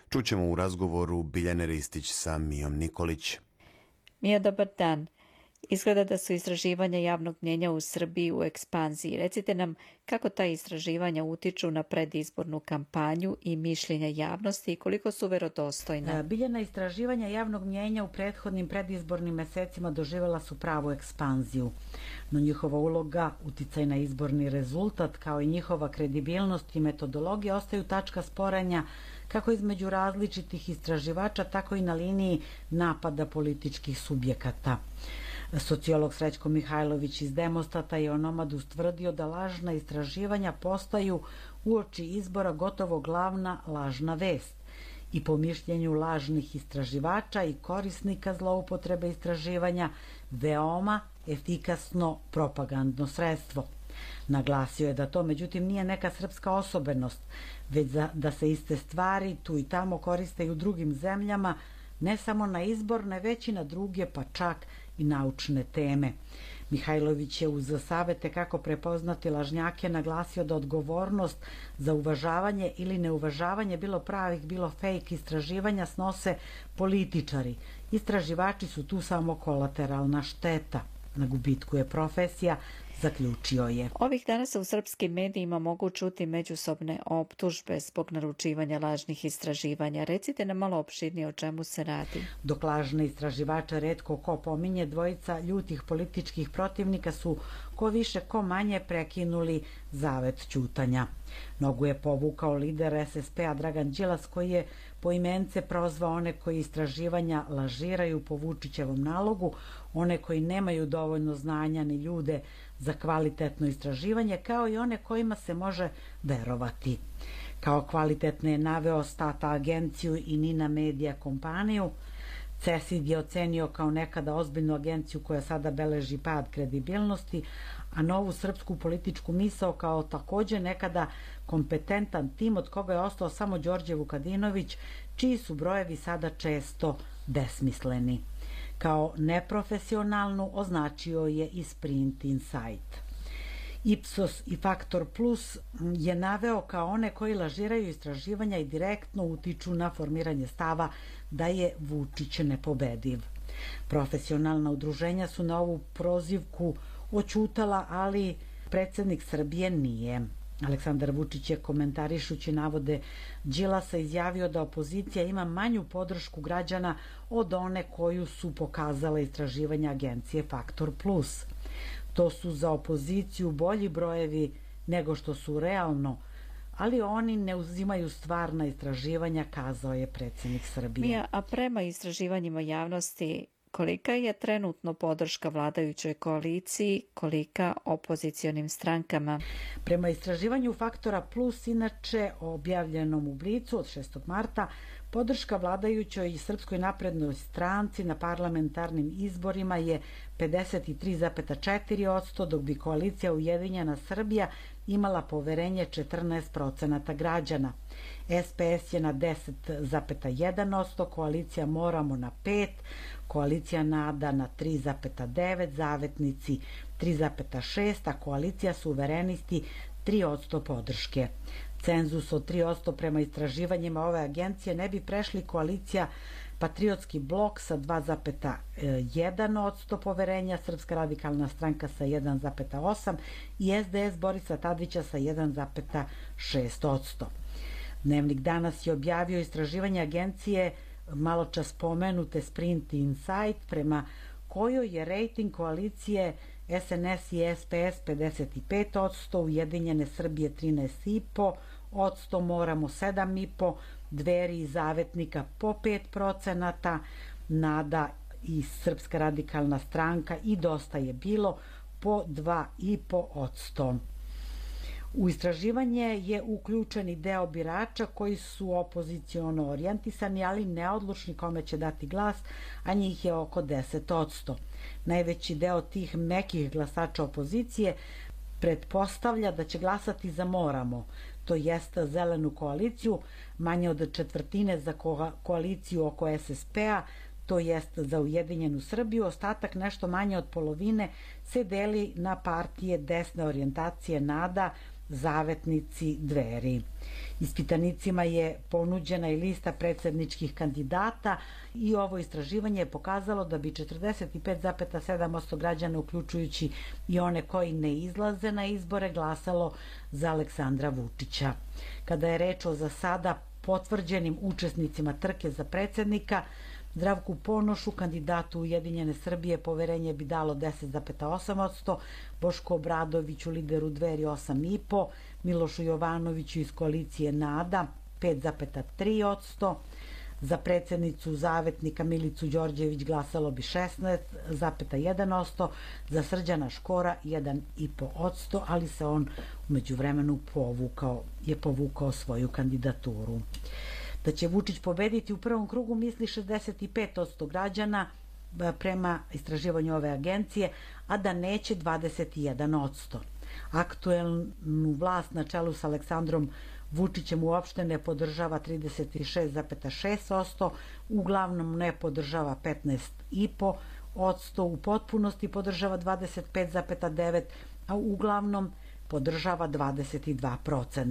čućemo u razgovoru Biljane Ristić sa Mijom Nikolić. Mija, dobar dan. Izgleda da su istraživanja javnog mnjenja u Srbiji u ekspanziji. Recite nam kako ta istraživanja utiču na predizbornu kampanju i mišljenja javnosti i koliko su verodostojna. Biljana, istraživanja javnog mnjenja u prethodnim predizbornim mesecima doživjela su pravu ekspanziju. No njihova uloga, uticaj na izborni rezultat, kao i njihova kredibilnost i metodologija ostaju tačka sporanja kako između različitih istraživača, tako i na liniji napada političkih subjekata. Sociolog Srećko Mihajlović iz Demostata je o Nomadu stvrdio da lažna istraživanja postaju uoči izbora gotovo glavna lažna vest i po mišljenju lažnih istraživača i korisnika zloupotrebe istraživanja veoma efikasno propagandno sredstvo. Naglasio je da to međutim nije neka srpska osobenost, već da se iste stvari tu i tamo koriste i u drugim zemljama, ne samo na izborne, već i na druge, pa čak i naučne teme. Mihajlović je uz savete kako prepoznati lažnjake naglasio da odgovornost za uvažavanje ili neuvažavanje bilo pravih, bilo fake istraživanja snose političari. Istraživači su tu samo kolateralna šteta. Na gubitku je profesija, zaključio je. Ovih dana se u srpskim medijima mogu čuti međusobne optužbe zbog naručivanja lažnih istraživanja. Recite nam malo opširnije o čemu se radi. Dok lažne istraživače retko ko pominje, dvojica ljutih političkih protivnika su ko više ko manje prekinuli zavet ćutanja. Nogu je povukao lider S S P-a Dragan Đilas, koji je poimence prozvao one koji istraživanja lažiraju po Vučićevom nalogu, one koji nemaju dovoljno znanja ni ljude za kvalitetno istraživanje, kao i one kojima se može verovati. Kao kvalitetne je naveo Stata agenciju i Nina Media kompaniju. CESID je ocenio kao nekada ozbiljnu agenciju koja sada beleži pad kredibilnosti, a Novu srpsku političku misao kao također nekada kompetentan tim od koga je ostao samo Đorđe Vukadinović, čiji su brojevi sada često besmisleni. Kao neprofesionalnu označio je i Sprint Insight. Ipsos i Faktor Plus je naveo kao one koji lažiraju istraživanja i direktno utiču na formiranje stava da je Vučić nepobediv. Profesionalna udruženja su na ovu prozivku oćutala, ali predsjednik Srbije nije. Aleksandar Vučić je komentarišući navode Đilasa izjavio da opozicija ima manju podršku građana od one koju su pokazale istraživanja agencije Faktor Plus. To su za opoziciju bolji brojevi nego što su realno, ali oni ne uzimaju stvarna istraživanja, kazao je predsjednik Srbije. Mija, a prema istraživanjima javnosti, kolika je trenutno podrška vladajućoj koaliciji, kolika opozicionim strankama? Prema istraživanju Faktora Plus, inače objavljenom u Blicu od šestog marta, podrška vladajućoj i Srpskoj naprednoj stranci na parlamentarnim izborima je pedeset tri zarez četiri posto, dok bi koalicija Ujedinjena Srbija imala poverenje četrnaest procenata građana. S P S je na deset zarez jedan posto, koalicija Moramo na pet posto, koalicija Nada na tri zarez devet posto, Zavetnici tri zarez šest posto, a koalicija Suverenisti tri posto podrške. Cenzus od tri posto prema istraživanjima ove agencije ne bi prešli koalicija Patriotski blok sa dva zarez jedan posto poverenja, Srpska radikalna stranka sa jedan zarez osam posto i S D S Borisa Tadića sa jedan zarez šest posto. Dnevnik danas je objavio istraživanje agencije malo čas spomenute Sprint Insight, prema kojoj je rejting koalicije S N S i S P S pedeset pet posto, Ujedinjene Srbije trinaest zarez pet posto, Moramo sedam zarez pet posto, Dveri i Zavetnika po pet procenata, Nada i Srpska radikalna stranka i Dosta je bilo po dva i po posto. U istraživanje je uključeni deo birača koji su opoziciono orijentisani, ali neodlučni kome će dati glas, a njih je oko deset posto. Najveći deo tih mekih glasača opozicije pretpostavlja da će glasati za Moramo, to jeste zelenu koaliciju, manje od četvrtine za koaliciju oko es es pe-a, to jest za Ujedinjenu Srbiju, ostatak nešto manje od polovine se deli na partije desne orijentacije NADA, Zavetnici, Dveri. Ispitanicima je ponuđena i lista predsedničkih kandidata i ovo istraživanje je pokazalo da bi četrdeset pet zarez sedam posto građana, uključujući i one koji ne izlaze na izbore, glasalo za Aleksandra Vučića. Kada je reč o za sada potvrđenim učesnicima trke za predsednika, Zdravku Ponošu, kandidatu Ujedinjene Srbije, poverenje bi dalo deset zarez osam posto, Bošku Obradoviću, lideru Dveri, osam i po posto, Milošu Jovanoviću iz koalicije NADA, pet zarez tri posto, za predsednicu Zavetnika Milicu Đorđević glasalo bi šesnaest zarez jedan posto, za Srđana Škora jedan i po posto, ali se on umeđu vremenu povukao, je povukao svoju kandidaturu. Da će Vučić pobediti u prvom krugu misli šezdeset pet posto građana prema istraživanju ove agencije, a da neće dvadeset jedan posto. Aktuelnu vlast na čelu sa Aleksandrom Vučićem uopšte ne podržava trideset šest zarez šest posto, uglavnom ne podržava petnaest i po posto, u potpunosti podržava dvadeset pet zarez devet posto, a uglavnom podržava dvadeset dva posto.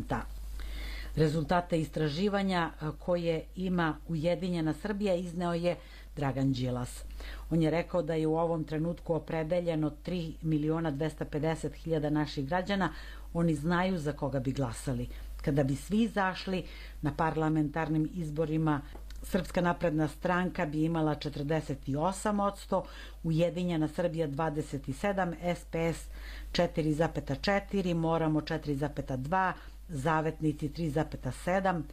Rezultate istraživanja koje ima Ujedinjena Srbija izneo je Dragan Đilas. On je rekao da je u ovom trenutku opredeljeno tri miliona dvesta pedeset hiljada naših građana, oni znaju za koga bi glasali. Kada bi svi izašli na parlamentarnim izborima, Srpska napredna stranka bi imala četrdeset osam posto, Ujedinjena Srbija dvadeset sedam, es pe es četiri zarez četiri, Moramo četiri zarez dva, Zavetnici tri zarez sedam,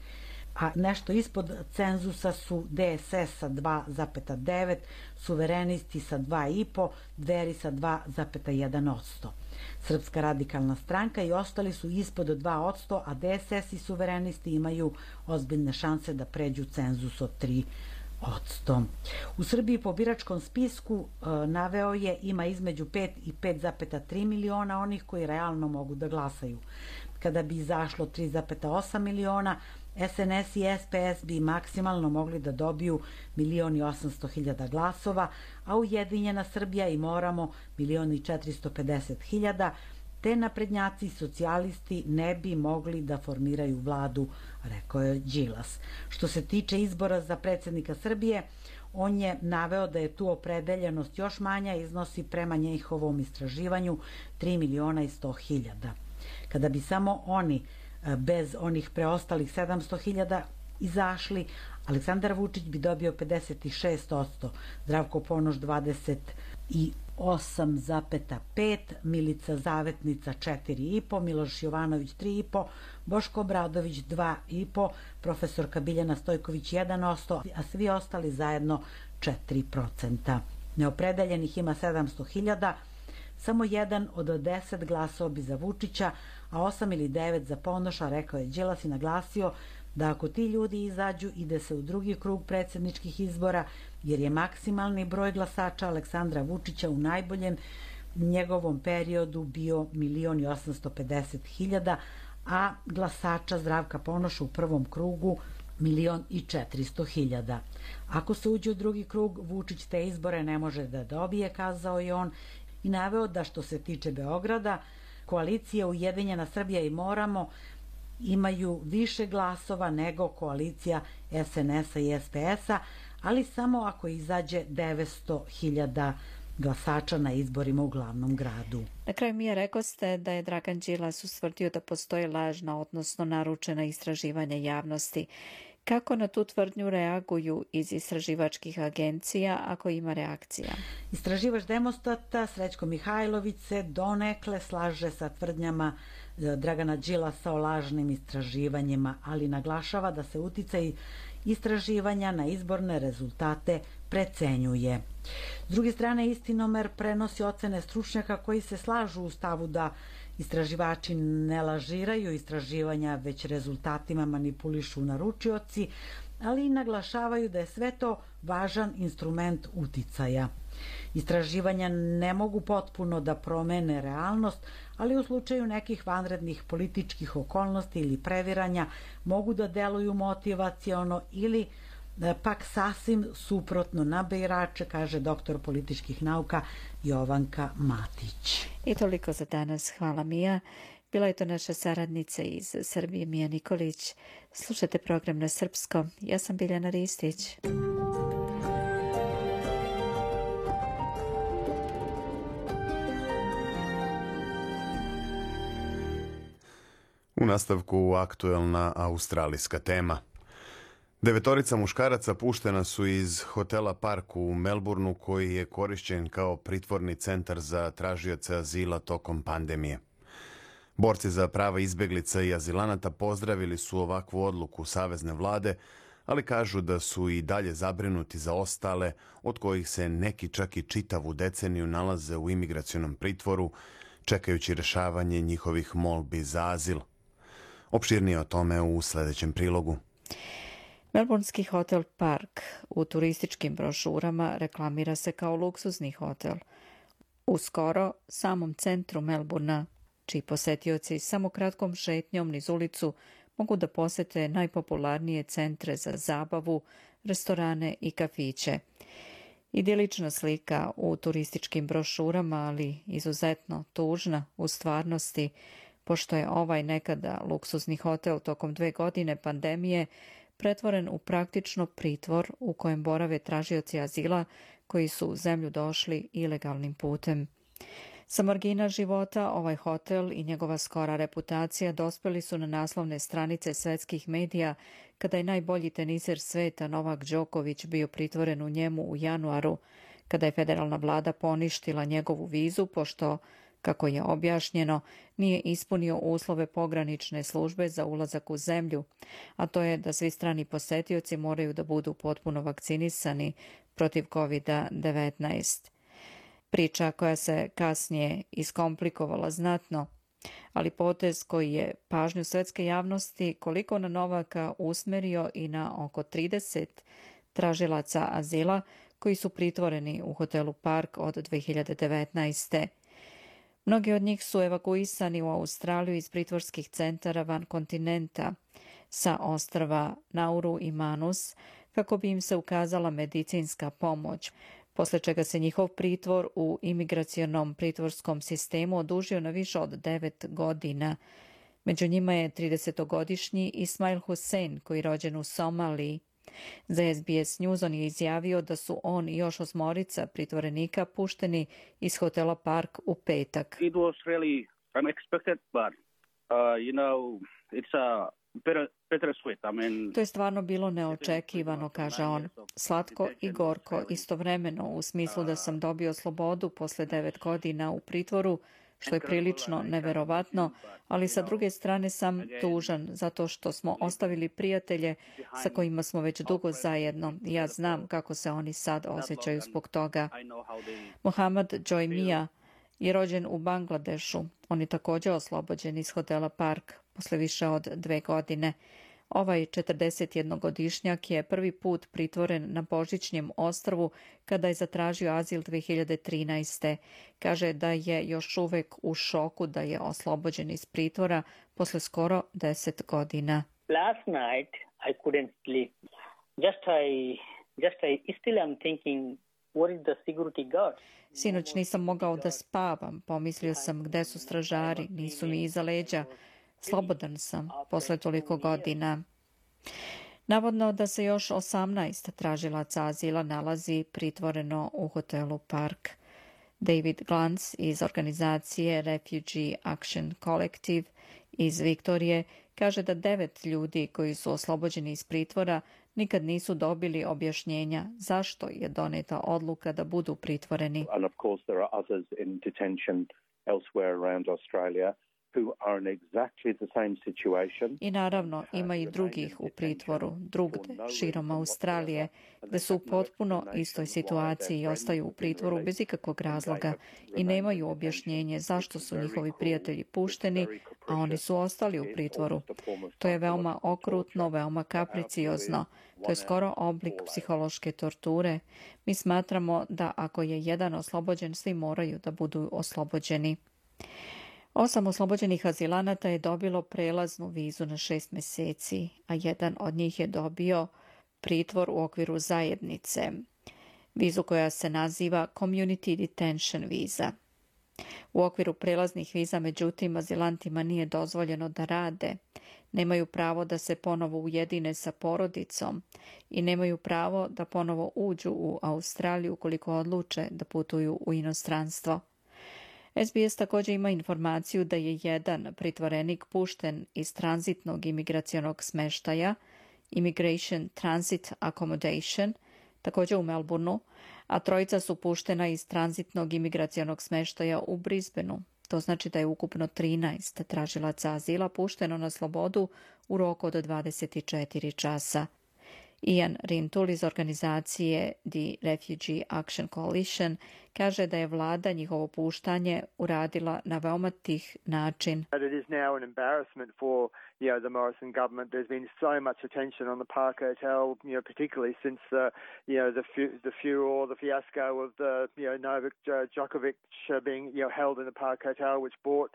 a nešto ispod cenzusa su de es es sa dva zarez devet, Suverenisti sa dva i po, Dveri sa dva zarez jedan posto. Srpska radikalna stranka i ostali su ispod dva posto, a de es es i Suverenisti imaju ozbiljne šanse da pređu cenzus od tri posto. U Srbiji po biračkom spisku e, naveo je ima između pet i pet zarez tri miliona onih koji realno mogu da glasaju. Kada bi izašlo tri zarez osam miliona, es en es i es pe es bi maksimalno mogli da dobiju milion i osamsto hiljada glasova, a Ujedinjena Srbija i Moramo milion i četiristo pedeset hiljada, te naprednjaci i socijalisti ne bi mogli da formiraju vladu, rekao je Đilas. Što se tiče izbora za predsednika Srbije, on je naveo da je tu opredeljenost još manja, iznosi prema njihovom istraživanju tri miliona i sto hiljada. Kada bi samo oni, bez onih preostalih sedamsto hiljada, izašli, Aleksandar Vučić bi dobio pedeset šest posto, Zdravko Ponoš dvadeset osam zarez pet, Milica Zavetnica četiri i po, Miloš Jovanović tri i po, Boško Obradović dva i po, profesorka Biljana Stojković jedan posto, a svi ostali zajedno četiri posto. Neopredeljenih ima sedamsto hiljada, samo jedan od deset glasao bi za Vučića, a osam ili devet za Ponoša, rekao je Đilas i naglasio da ako ti ljudi izađu, ide se u drugi krug predsedničkih izbora, jer je maksimalni broj glasača Aleksandra Vučića u najboljem njegovom periodu bio milion i osamsto pedeset hiljada, a glasača Zdravka Ponoša u prvom krugu milion i četiristo hiljada. Ako se uđe u drugi krug, Vučić te izbore ne može da dobije, kazao je on, i naveo da što se tiče Beograda, koalicija Ujedinjena Srbija i Moramo imaju više glasova nego koalicija es en es-a i es pe es-a, ali samo ako izađe devetsto hiljada glasača na izborima u glavnom gradu. Na kraju mi je rekao ste da je Dragan Đilas ustvrdio da postoji lažna, odnosno naručena istraživanja javnosti. Kako na tu tvrdnju reaguju iz istraživačkih agencija, ako ima reakcija? Istraživač Demostata Srećko Mihajlović se donekle slaže sa tvrdnjama Dragana Đilasa o lažnim istraživanjima, ali naglašava da se uticaj istraživanja na izborne rezultate precenjuje. S druge strane, Istinomer prenosi ocene stručnjaka koji se slažu u stavu da istraživači ne lažiraju istraživanja, već rezultatima manipulišu naručioci, ali i naglašavaju da je sve to važan instrument uticaja. Istraživanja ne mogu potpuno da promene realnost, ali u slučaju nekih vanrednih političkih okolnosti ili previranja mogu da deluju motivaciono ili pak sasvim suprotno na birače, kaže doktor političkih nauka Jovanka Matić. I toliko za danas. Hvala, Mija. Bila je to naša saradnica iz Srbije, Mija Nikolić. Slušajte program na srpskom. Ja sam Biljana Ristić. U nastavku aktuelna australijska tema. Devetorica muškaraca puštena su iz hotela Park u Melbourneu, koji je korišćen kao pritvorni centar za tražioce azila tokom pandemije. Borci za prava izbeglica i azilanata pozdravili su ovakvu odluku savezne vlade, ali kažu da su i dalje zabrinuti za ostale, od kojih se neki čak i čitavu deceniju nalaze u imigracionom pritvoru, čekajući rešavanje njihovih molbi za azil. Opširnije o tome u sljedećem prilogu. Melbournski hotel Park u turističkim brošurama reklamira se kao luksuzni hotel. U skoro samom centru Melbourna, čiji posetioci samo kratkom šetnjom niz ulicu mogu da posete najpopularnije centre za zabavu, restorane i kafiće. Idilična slika u turističkim brošurama, ali izuzetno tužna u stvarnosti, pošto je ovaj nekada luksuzni hotel tokom dve godine pandemije pretvoren u praktično pritvor u kojem borave tražioci azila koji su u zemlju došli ilegalnim putem. Sa margina života ovaj hotel i njegova skora reputacija dospeli su na naslovne stranice svetskih medija kada je najbolji teniser sveta Novak Đoković bio pritvoren u njemu u januaru, kada je federalna vlada poništila njegovu vizu pošto, kako je objašnjeno, nije ispunio uslove pogranične službe za ulazak u zemlju, a to je da svi strani posetioci moraju da budu potpuno vakcinisani protiv kovid devetnaest. Priča koja se kasnije iskomplikovala znatno, ali potez koji je pažnju svetske javnosti koliko na Novaka usmerio i na oko trideset tražilaca azila koji su pritvoreni u hotelu Park od dve hiljade devetnaeste. Mnogi od njih su evakuisani u Australiju iz pritvorskih centara van kontinenta, sa ostrva Nauru i Manus, kako bi im se ukazala medicinska pomoć, posle čega se njihov pritvor u imigracionom pritvorskom sistemu odužio na više od devet godina. Među njima je tridesetogodišnji Ismail Hussein, koji je rođen u Somaliji. Za S B S News on je izjavio da su on i još osmorica pritvorenika pušteni iz hotela Park u petak. It was really unexpected, but uh, you know, it's a bittersweet. I mean, to je stvarno bilo neočekivano, kaže on. Slatko i gorko istovremeno, u smislu da sam dobio slobodu posle devet godina u pritvoru, što je prilično neverovatno, ali sa druge strane sam tužan zato što smo ostavili prijatelje sa kojima smo već dugo zajedno. Ja znam kako se oni sad osjećaju zbog toga. Mohamed Joy je rođen u Bangladešu. On je također oslobođen iz hotela Park posle više od dve godine. Ovaj četrdesetjednogodišnjak je prvi put pritvoren na Božićnjem ostrvu kada je zatražio azil dve hiljade trinaeste. Kaže da je još uvek u šoku da je oslobođen iz pritvora posle skoro deset godina. Last night I couldn't sleep. Just I, just I still am thinking what is the security guard? Sinoć nisam mogao da spavam. Pomislio sam gde su stražari, nisu mi iza leđa. Slobodan sam posle toliko godina. Navodno da se još osamnaest tražilaca azila nalazi pritvoreno u hotelu Park. David Glantz iz organizacije Refugee Action Collective iz Viktorije kaže da devet ljudi koji su oslobođeni iz pritvora nikad nisu dobili objašnjenja zašto je doneta odluka da budu pritvoreni. And of course there are others in detention elsewhere around Australia who are in exactly the same situation. I naravno ima i drugih u pritvoru, drugde, širom Australije, gde su u potpuno istoj situaciji i ostaju u pritvoru bez ikakvog razloga i nemaju objašnjenje zašto su njihovi prijatelji pušteni, a oni su ostali u pritvoru. To je veoma okrutno, veoma kapriciozno. To je skoro oblik psihološke torture. Mi smatramo da ako je jedan oslobođen, svi moraju da budu oslobođeni. Osam oslobođenih azilanata je dobilo prelaznu vizu na šest meseci, a jedan od njih je dobio pritvor u okviru zajednice, vizu koja se naziva Community Detention viza. U okviru prelaznih viza, međutim, azilantima nije dozvoljeno da rade, nemaju pravo da se ponovo ujedine sa porodicom i nemaju pravo da ponovo uđu u Australiju ukoliko odluče da putuju u inostranstvo. S B S također ima informaciju da je jedan pritvorenik pušten iz tranzitnog imigracionog smeštaja, Immigration Transit Accommodation, također u Melbourneu, a trojica su puštena iz tranzitnog imigracionog smeštaja u Brisbaneu. To znači da je ukupno trinaest tražilaca azila pušteno na slobodu u roku od dvadeset četiri časa. Ian Rintoul iz organizacije The Refugee Action Coalition kaže da je vlada njihovo puštanje uradila na veoma tih način. It is now an embarrassment for, you know, the Morrison government. There's been so much attention on the Park Hotel, you know, particularly since the, you know, the the furor, the fiasco of the, you know, Novak Djokovic being, you know, held in the Park Hotel, which brought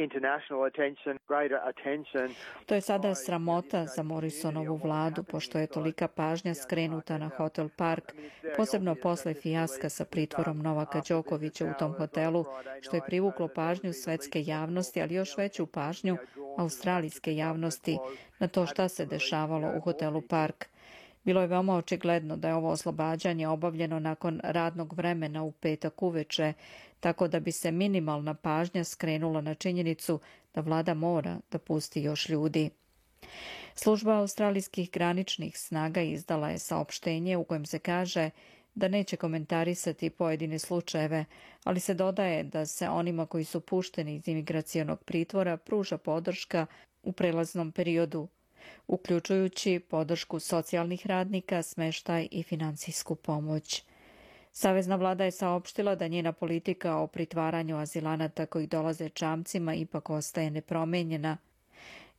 international attention, greater attention. To je sada sramota za Morrisonovu vladu, pošto je tolika pažnja skrenuta na Hotel Park, posebno posle fijaska sa pritvorom Novaka Đokovića u tom hotelu, što je privuklo pažnju svetske javnosti, ali još veću pažnju australijske javnosti na to šta se dešavalo u Hotelu Park. Bilo je veoma očigledno da je ovo oslobađanje obavljeno nakon radnog vremena u petak uveče, tako da bi se minimalna pažnja skrenula na činjenicu da vlada mora da pusti još ljudi. Služba australijskih graničnih snaga izdala je saopštenje u kojem se kaže da neće komentarisati pojedine slučajeve, ali se dodaje da se onima koji su pušteni iz imigracionog pritvora pruža podrška u prelaznom periodu, uključujući podršku socijalnih radnika, smeštaj i finansijsku pomoć. Savezna vlada je saopštila da njena politika o pritvaranju azilanata koji dolaze čamcima ipak ostaje nepromenjena.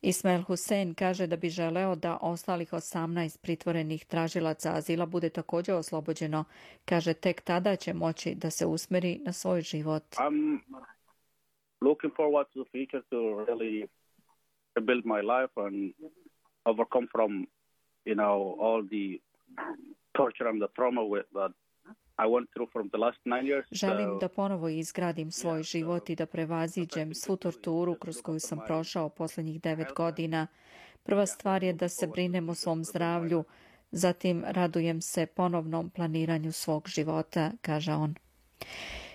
Ismail Hussein kaže da bi želeo da ostalih osamnaest pritvorenih tražilaca azila bude također oslobođeno. Kaže tek tada će moći da se usmeri na svoj život. I'm looking forward to the future to really rebuild my life and overcome from, you know, all the torture and the trauma with that I went through from the last nine years. Želim da ponovo izgradim svoj život i da prevaziđem svu torturu kroz koju sam prošao posljednjih devet godina. Prva stvar je da se brinem o svom zdravlju, zatim radujem se ponovnom planiranju svog života, kaže on.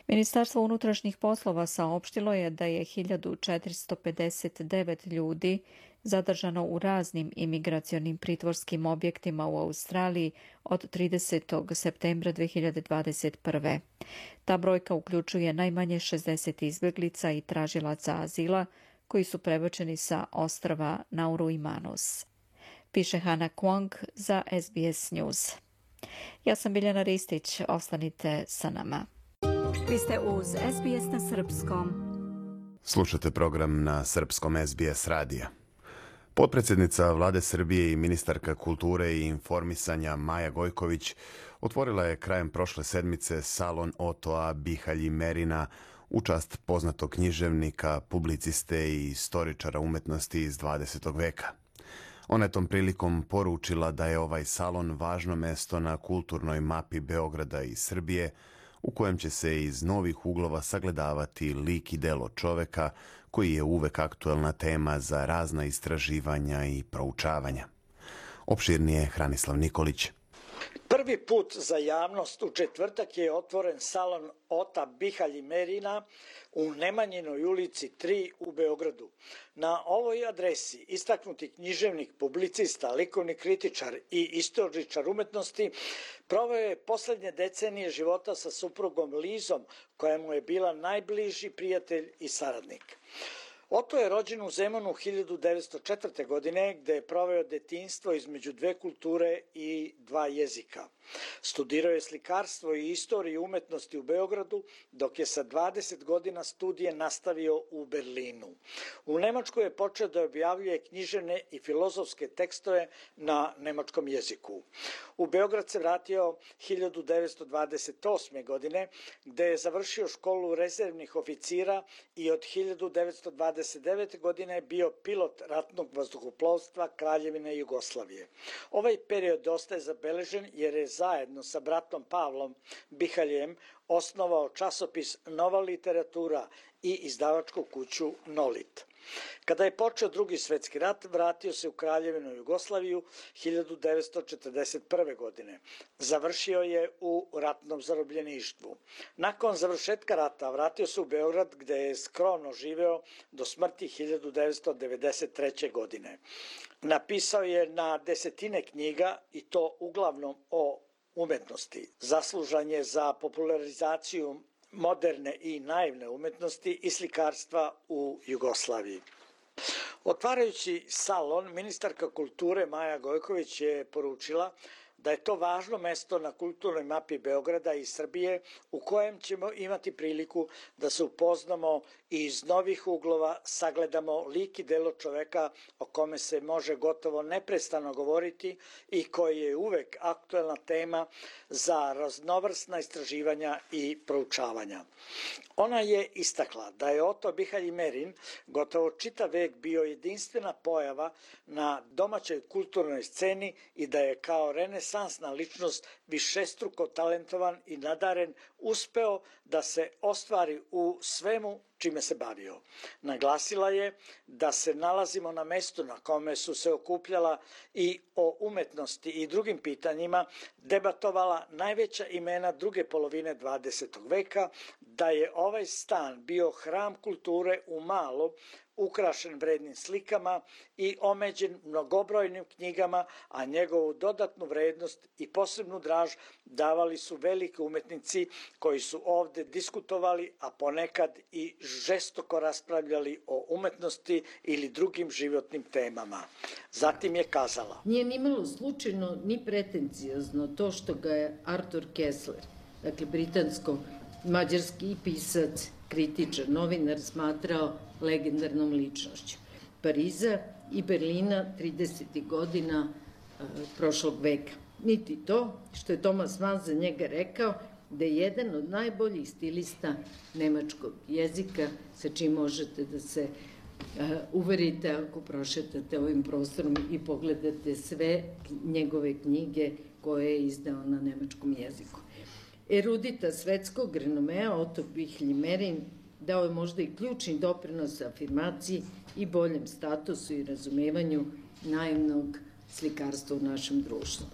Ministarstvo unutrašnjih poslova saopštilo je da je hiljadu četiristo pedeset devet ljudi zadržano u raznim imigracionim pritvorskim objektima u Australiji od tridesetog septembra dve hiljade dvadeset prve. Ta brojka uključuje najmanje šezdeset izbjeglica i tražilaca azila koji su prebačeni sa ostrva Nauru i Manus. Piše Hana Kwong za S B S News. Ja sam Biljana Ristić, ostanite sa nama. Vi ste uz S B S na srpskom. Slušate program na srpskom S B S radija. Potpredsjednica Vlade Srbije i ministarka kulture i informisanja Maja Gojković otvorila je krajem prošle sedmice salon Otoa Bihalji Merina u čast poznatog književnika, publiciste i istoričara umetnosti iz dvadesetog veka. Ona je tom prilikom poručila da je ovaj salon važno mesto na kulturnoj mapi Beograda i Srbije, u kojem će se iz novih uglova sagledavati lik i delo čoveka koji je uvek aktuelna tema za razna istraživanja i proučavanja. Opširnije Hranislav Nikolić. prvi put za javnost u četvrtak je otvoren salon Ota Bihalji Merina u Nemanjinoj ulici tri u Beogradu. Na ovoj adresi istaknuti književnik, publicista, likovni kritičar i istoričar umetnosti proveo je poslednje decenije života sa suprugom Lizom, koja mu je bila najbliži prijatelj i saradnik. Oto je rođen u Zemunu hiljadu devetsto četvrte. godine, gde je proveo detinjstvo između dve kulture i dva jezika. Studirao je slikarstvo i istoriju umetnosti u Beogradu, dok je sa dvadeset godina studije nastavio u Berlinu. U Nemačkoj je počeo da objavljuje književne i filozofske tekstove na nemačkom jeziku. U Beograd se vratio hiljadu devetsto dvadeset osme. godine, gde je završio školu rezervnih oficira i od hiljadu devetsto dvadeset devete. godine bio pilot ratnog vazduhoplovstva Kraljevine Jugoslavije. Ovaj period ostaje zabeležen jer je zajedno sa bratom Pavlom Bihaljem osnovao časopis Nova literatura i izdavačku kuću Nolit. Kada je počeo Drugi svetski rat, vratio se u Kraljevinu Jugoslaviju hiljadu devetsto četrdeset prve. godine. Završio je u ratnom zarobljeništvu. Nakon završetka rata vratio se u Beograd, gde je skromno živeo do smrti hiljadu devetsto devedeset treće. godine. Napisao je na desetine knjiga i to uglavnom o umetnosti. Zaslužan je za popularizaciju moderne i naivne umetnosti i slikarstva u Jugoslaviji. Otvarajući salon, ministarka kulture Maja Gojković je poručila da je to važno mesto na kulturnoj mapi Beograda i Srbije u kojem ćemo imati priliku da se upoznamo i iz novih uglova sagledamo lik i delo čoveka o kome se može gotovo neprestano govoriti i koji je uvek aktuelna tema za raznovrsna istraživanja i proučavanja. Ona je istakla da je Oto Bihalji Merin gotovo čitav vek bio jedinstvena pojava na domaćoj kulturnoj sceni i da je kao renesansna ličnost višestruko talentovan i nadaren uspeo da se ostvari u svemu čime se bavio. Naglasila je da se nalazimo na mestu na kome su se okupljala i o umetnosti i drugim pitanjima debatovala najveća imena druge polovine dvadesetog veka, da je ovaj stan bio hram kulture u malom, ukrašen vrednim slikama i omeđen mnogobrojnim knjigama, a njegovu dodatnu vrednost i posebnu draž davali su veliki umetnici koji su ovde diskutovali, a ponekad i žestoko raspravljali o umetnosti ili drugim životnim temama. Zatim je kazala: Nije nimalo slučajno ni pretencijozno to što ga je Arthur Koestler, dakle britansko-mađarski pisac, kritičar, novinar, smatrao legendarnom ličnošću Pariza i Berlina tridesetih godina e, prošlog veka. Niti to što je Thomas Mann za njega rekao da je jedan od najboljih stilista nemačkog jezika, sa čim možete da se e, uverite ako prošetate ovim prostorom i pogledate sve njegove knjige koje je izdao na nemačkom jeziku. Erudita svetskog renomea Oto Bihalji Merin dao je možda i ključni doprinos afirmaciji i boljem statusu i razumevanju naivnog slikarstva u našem društvu.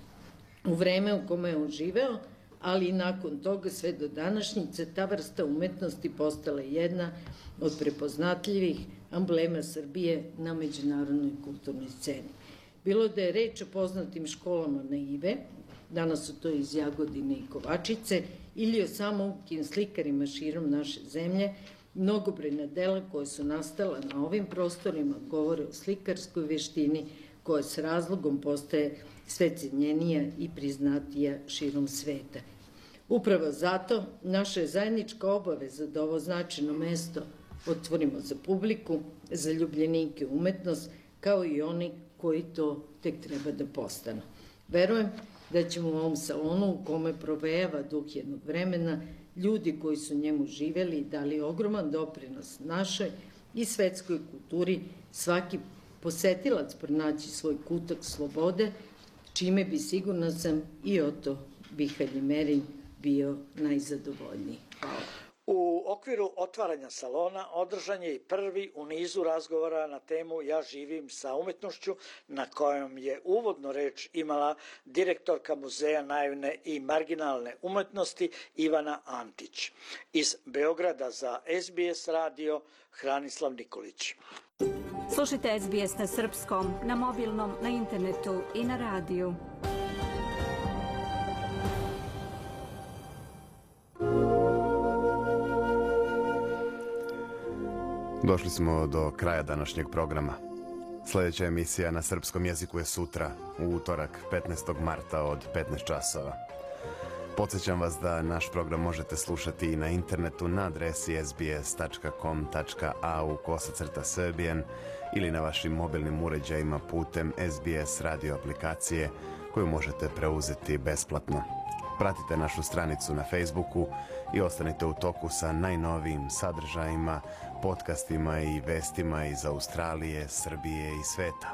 U vreme u kome je on živeo, ali i nakon toga sve do današnjice, ta vrsta umetnosti postala jedna od prepoznatljivih amblema Srbije na međunarodnoj kulturnoj sceni. Bilo da je reč o poznatim školama naive, danas su to iz Jagodine i Kovačice, ili o samoukim slikarima širom naše zemlje, mnogobrojna dela koje su nastala na ovim prostorima govore o slikarskoj veštini koja s razlogom postaje sve cenjenija i priznatija širom sveta. Upravo zato naša je zajednička obaveza da ovo značajno mesto otvorimo za publiku, za ljubljenike umetnost, kao i oni koji to tek treba da postanu. Verujem da ćemo u ovom salonu u kome provejava duh jednog vremena, ljudi koji su njemu živeli i dali ogroman doprinos našoj i svetskoj kulturi, svaki posetilac pronaći svoj kutak slobode, čime bi, sigurno sam, i Oto Bihalji Merin bio najzadovoljniji. Hvala. U okviru otvaranja salona održan je i prvi u nizu razgovora na temu Ja živim sa umetnošću, na kojem je uvodno reč imala direktorka Muzeja naivne i marginalne umetnosti Ivana Antić. Iz Beograda za S B S radio Hranislav Nikolić. Slušajte S B S na srpskom, na mobilnom, na internetu i na radiju. Došli smo do kraja današnjeg programa. Sljedeća emisija na srpskom jeziku je sutra, u utorak, petnaestog marta od petnaest časova. Podsjećam vas da naš program možete slušati i na internetu na adresi s b s tačka com tačka a u kosacrta serbian ili na vašim mobilnim uređajima putem S B S radio aplikacije koju možete preuzeti besplatno. Pratite našu stranicu na Facebooku i ostanite u toku sa najnovijim sadržajima, podcastima i vestima iz Australije, Srbije i sveta.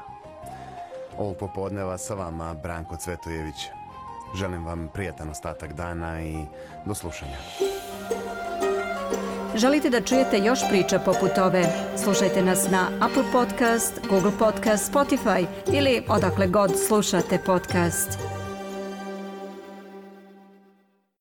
Ovog popodneva sa vama Branko Cvetojević. Želim vam prijatan ostatak dana i do slušanja. Želite da čujete još priča poput ove? Slušajte nas na Apple Podcast, Google Podcast, Spotify ili odakle god slušate podcast.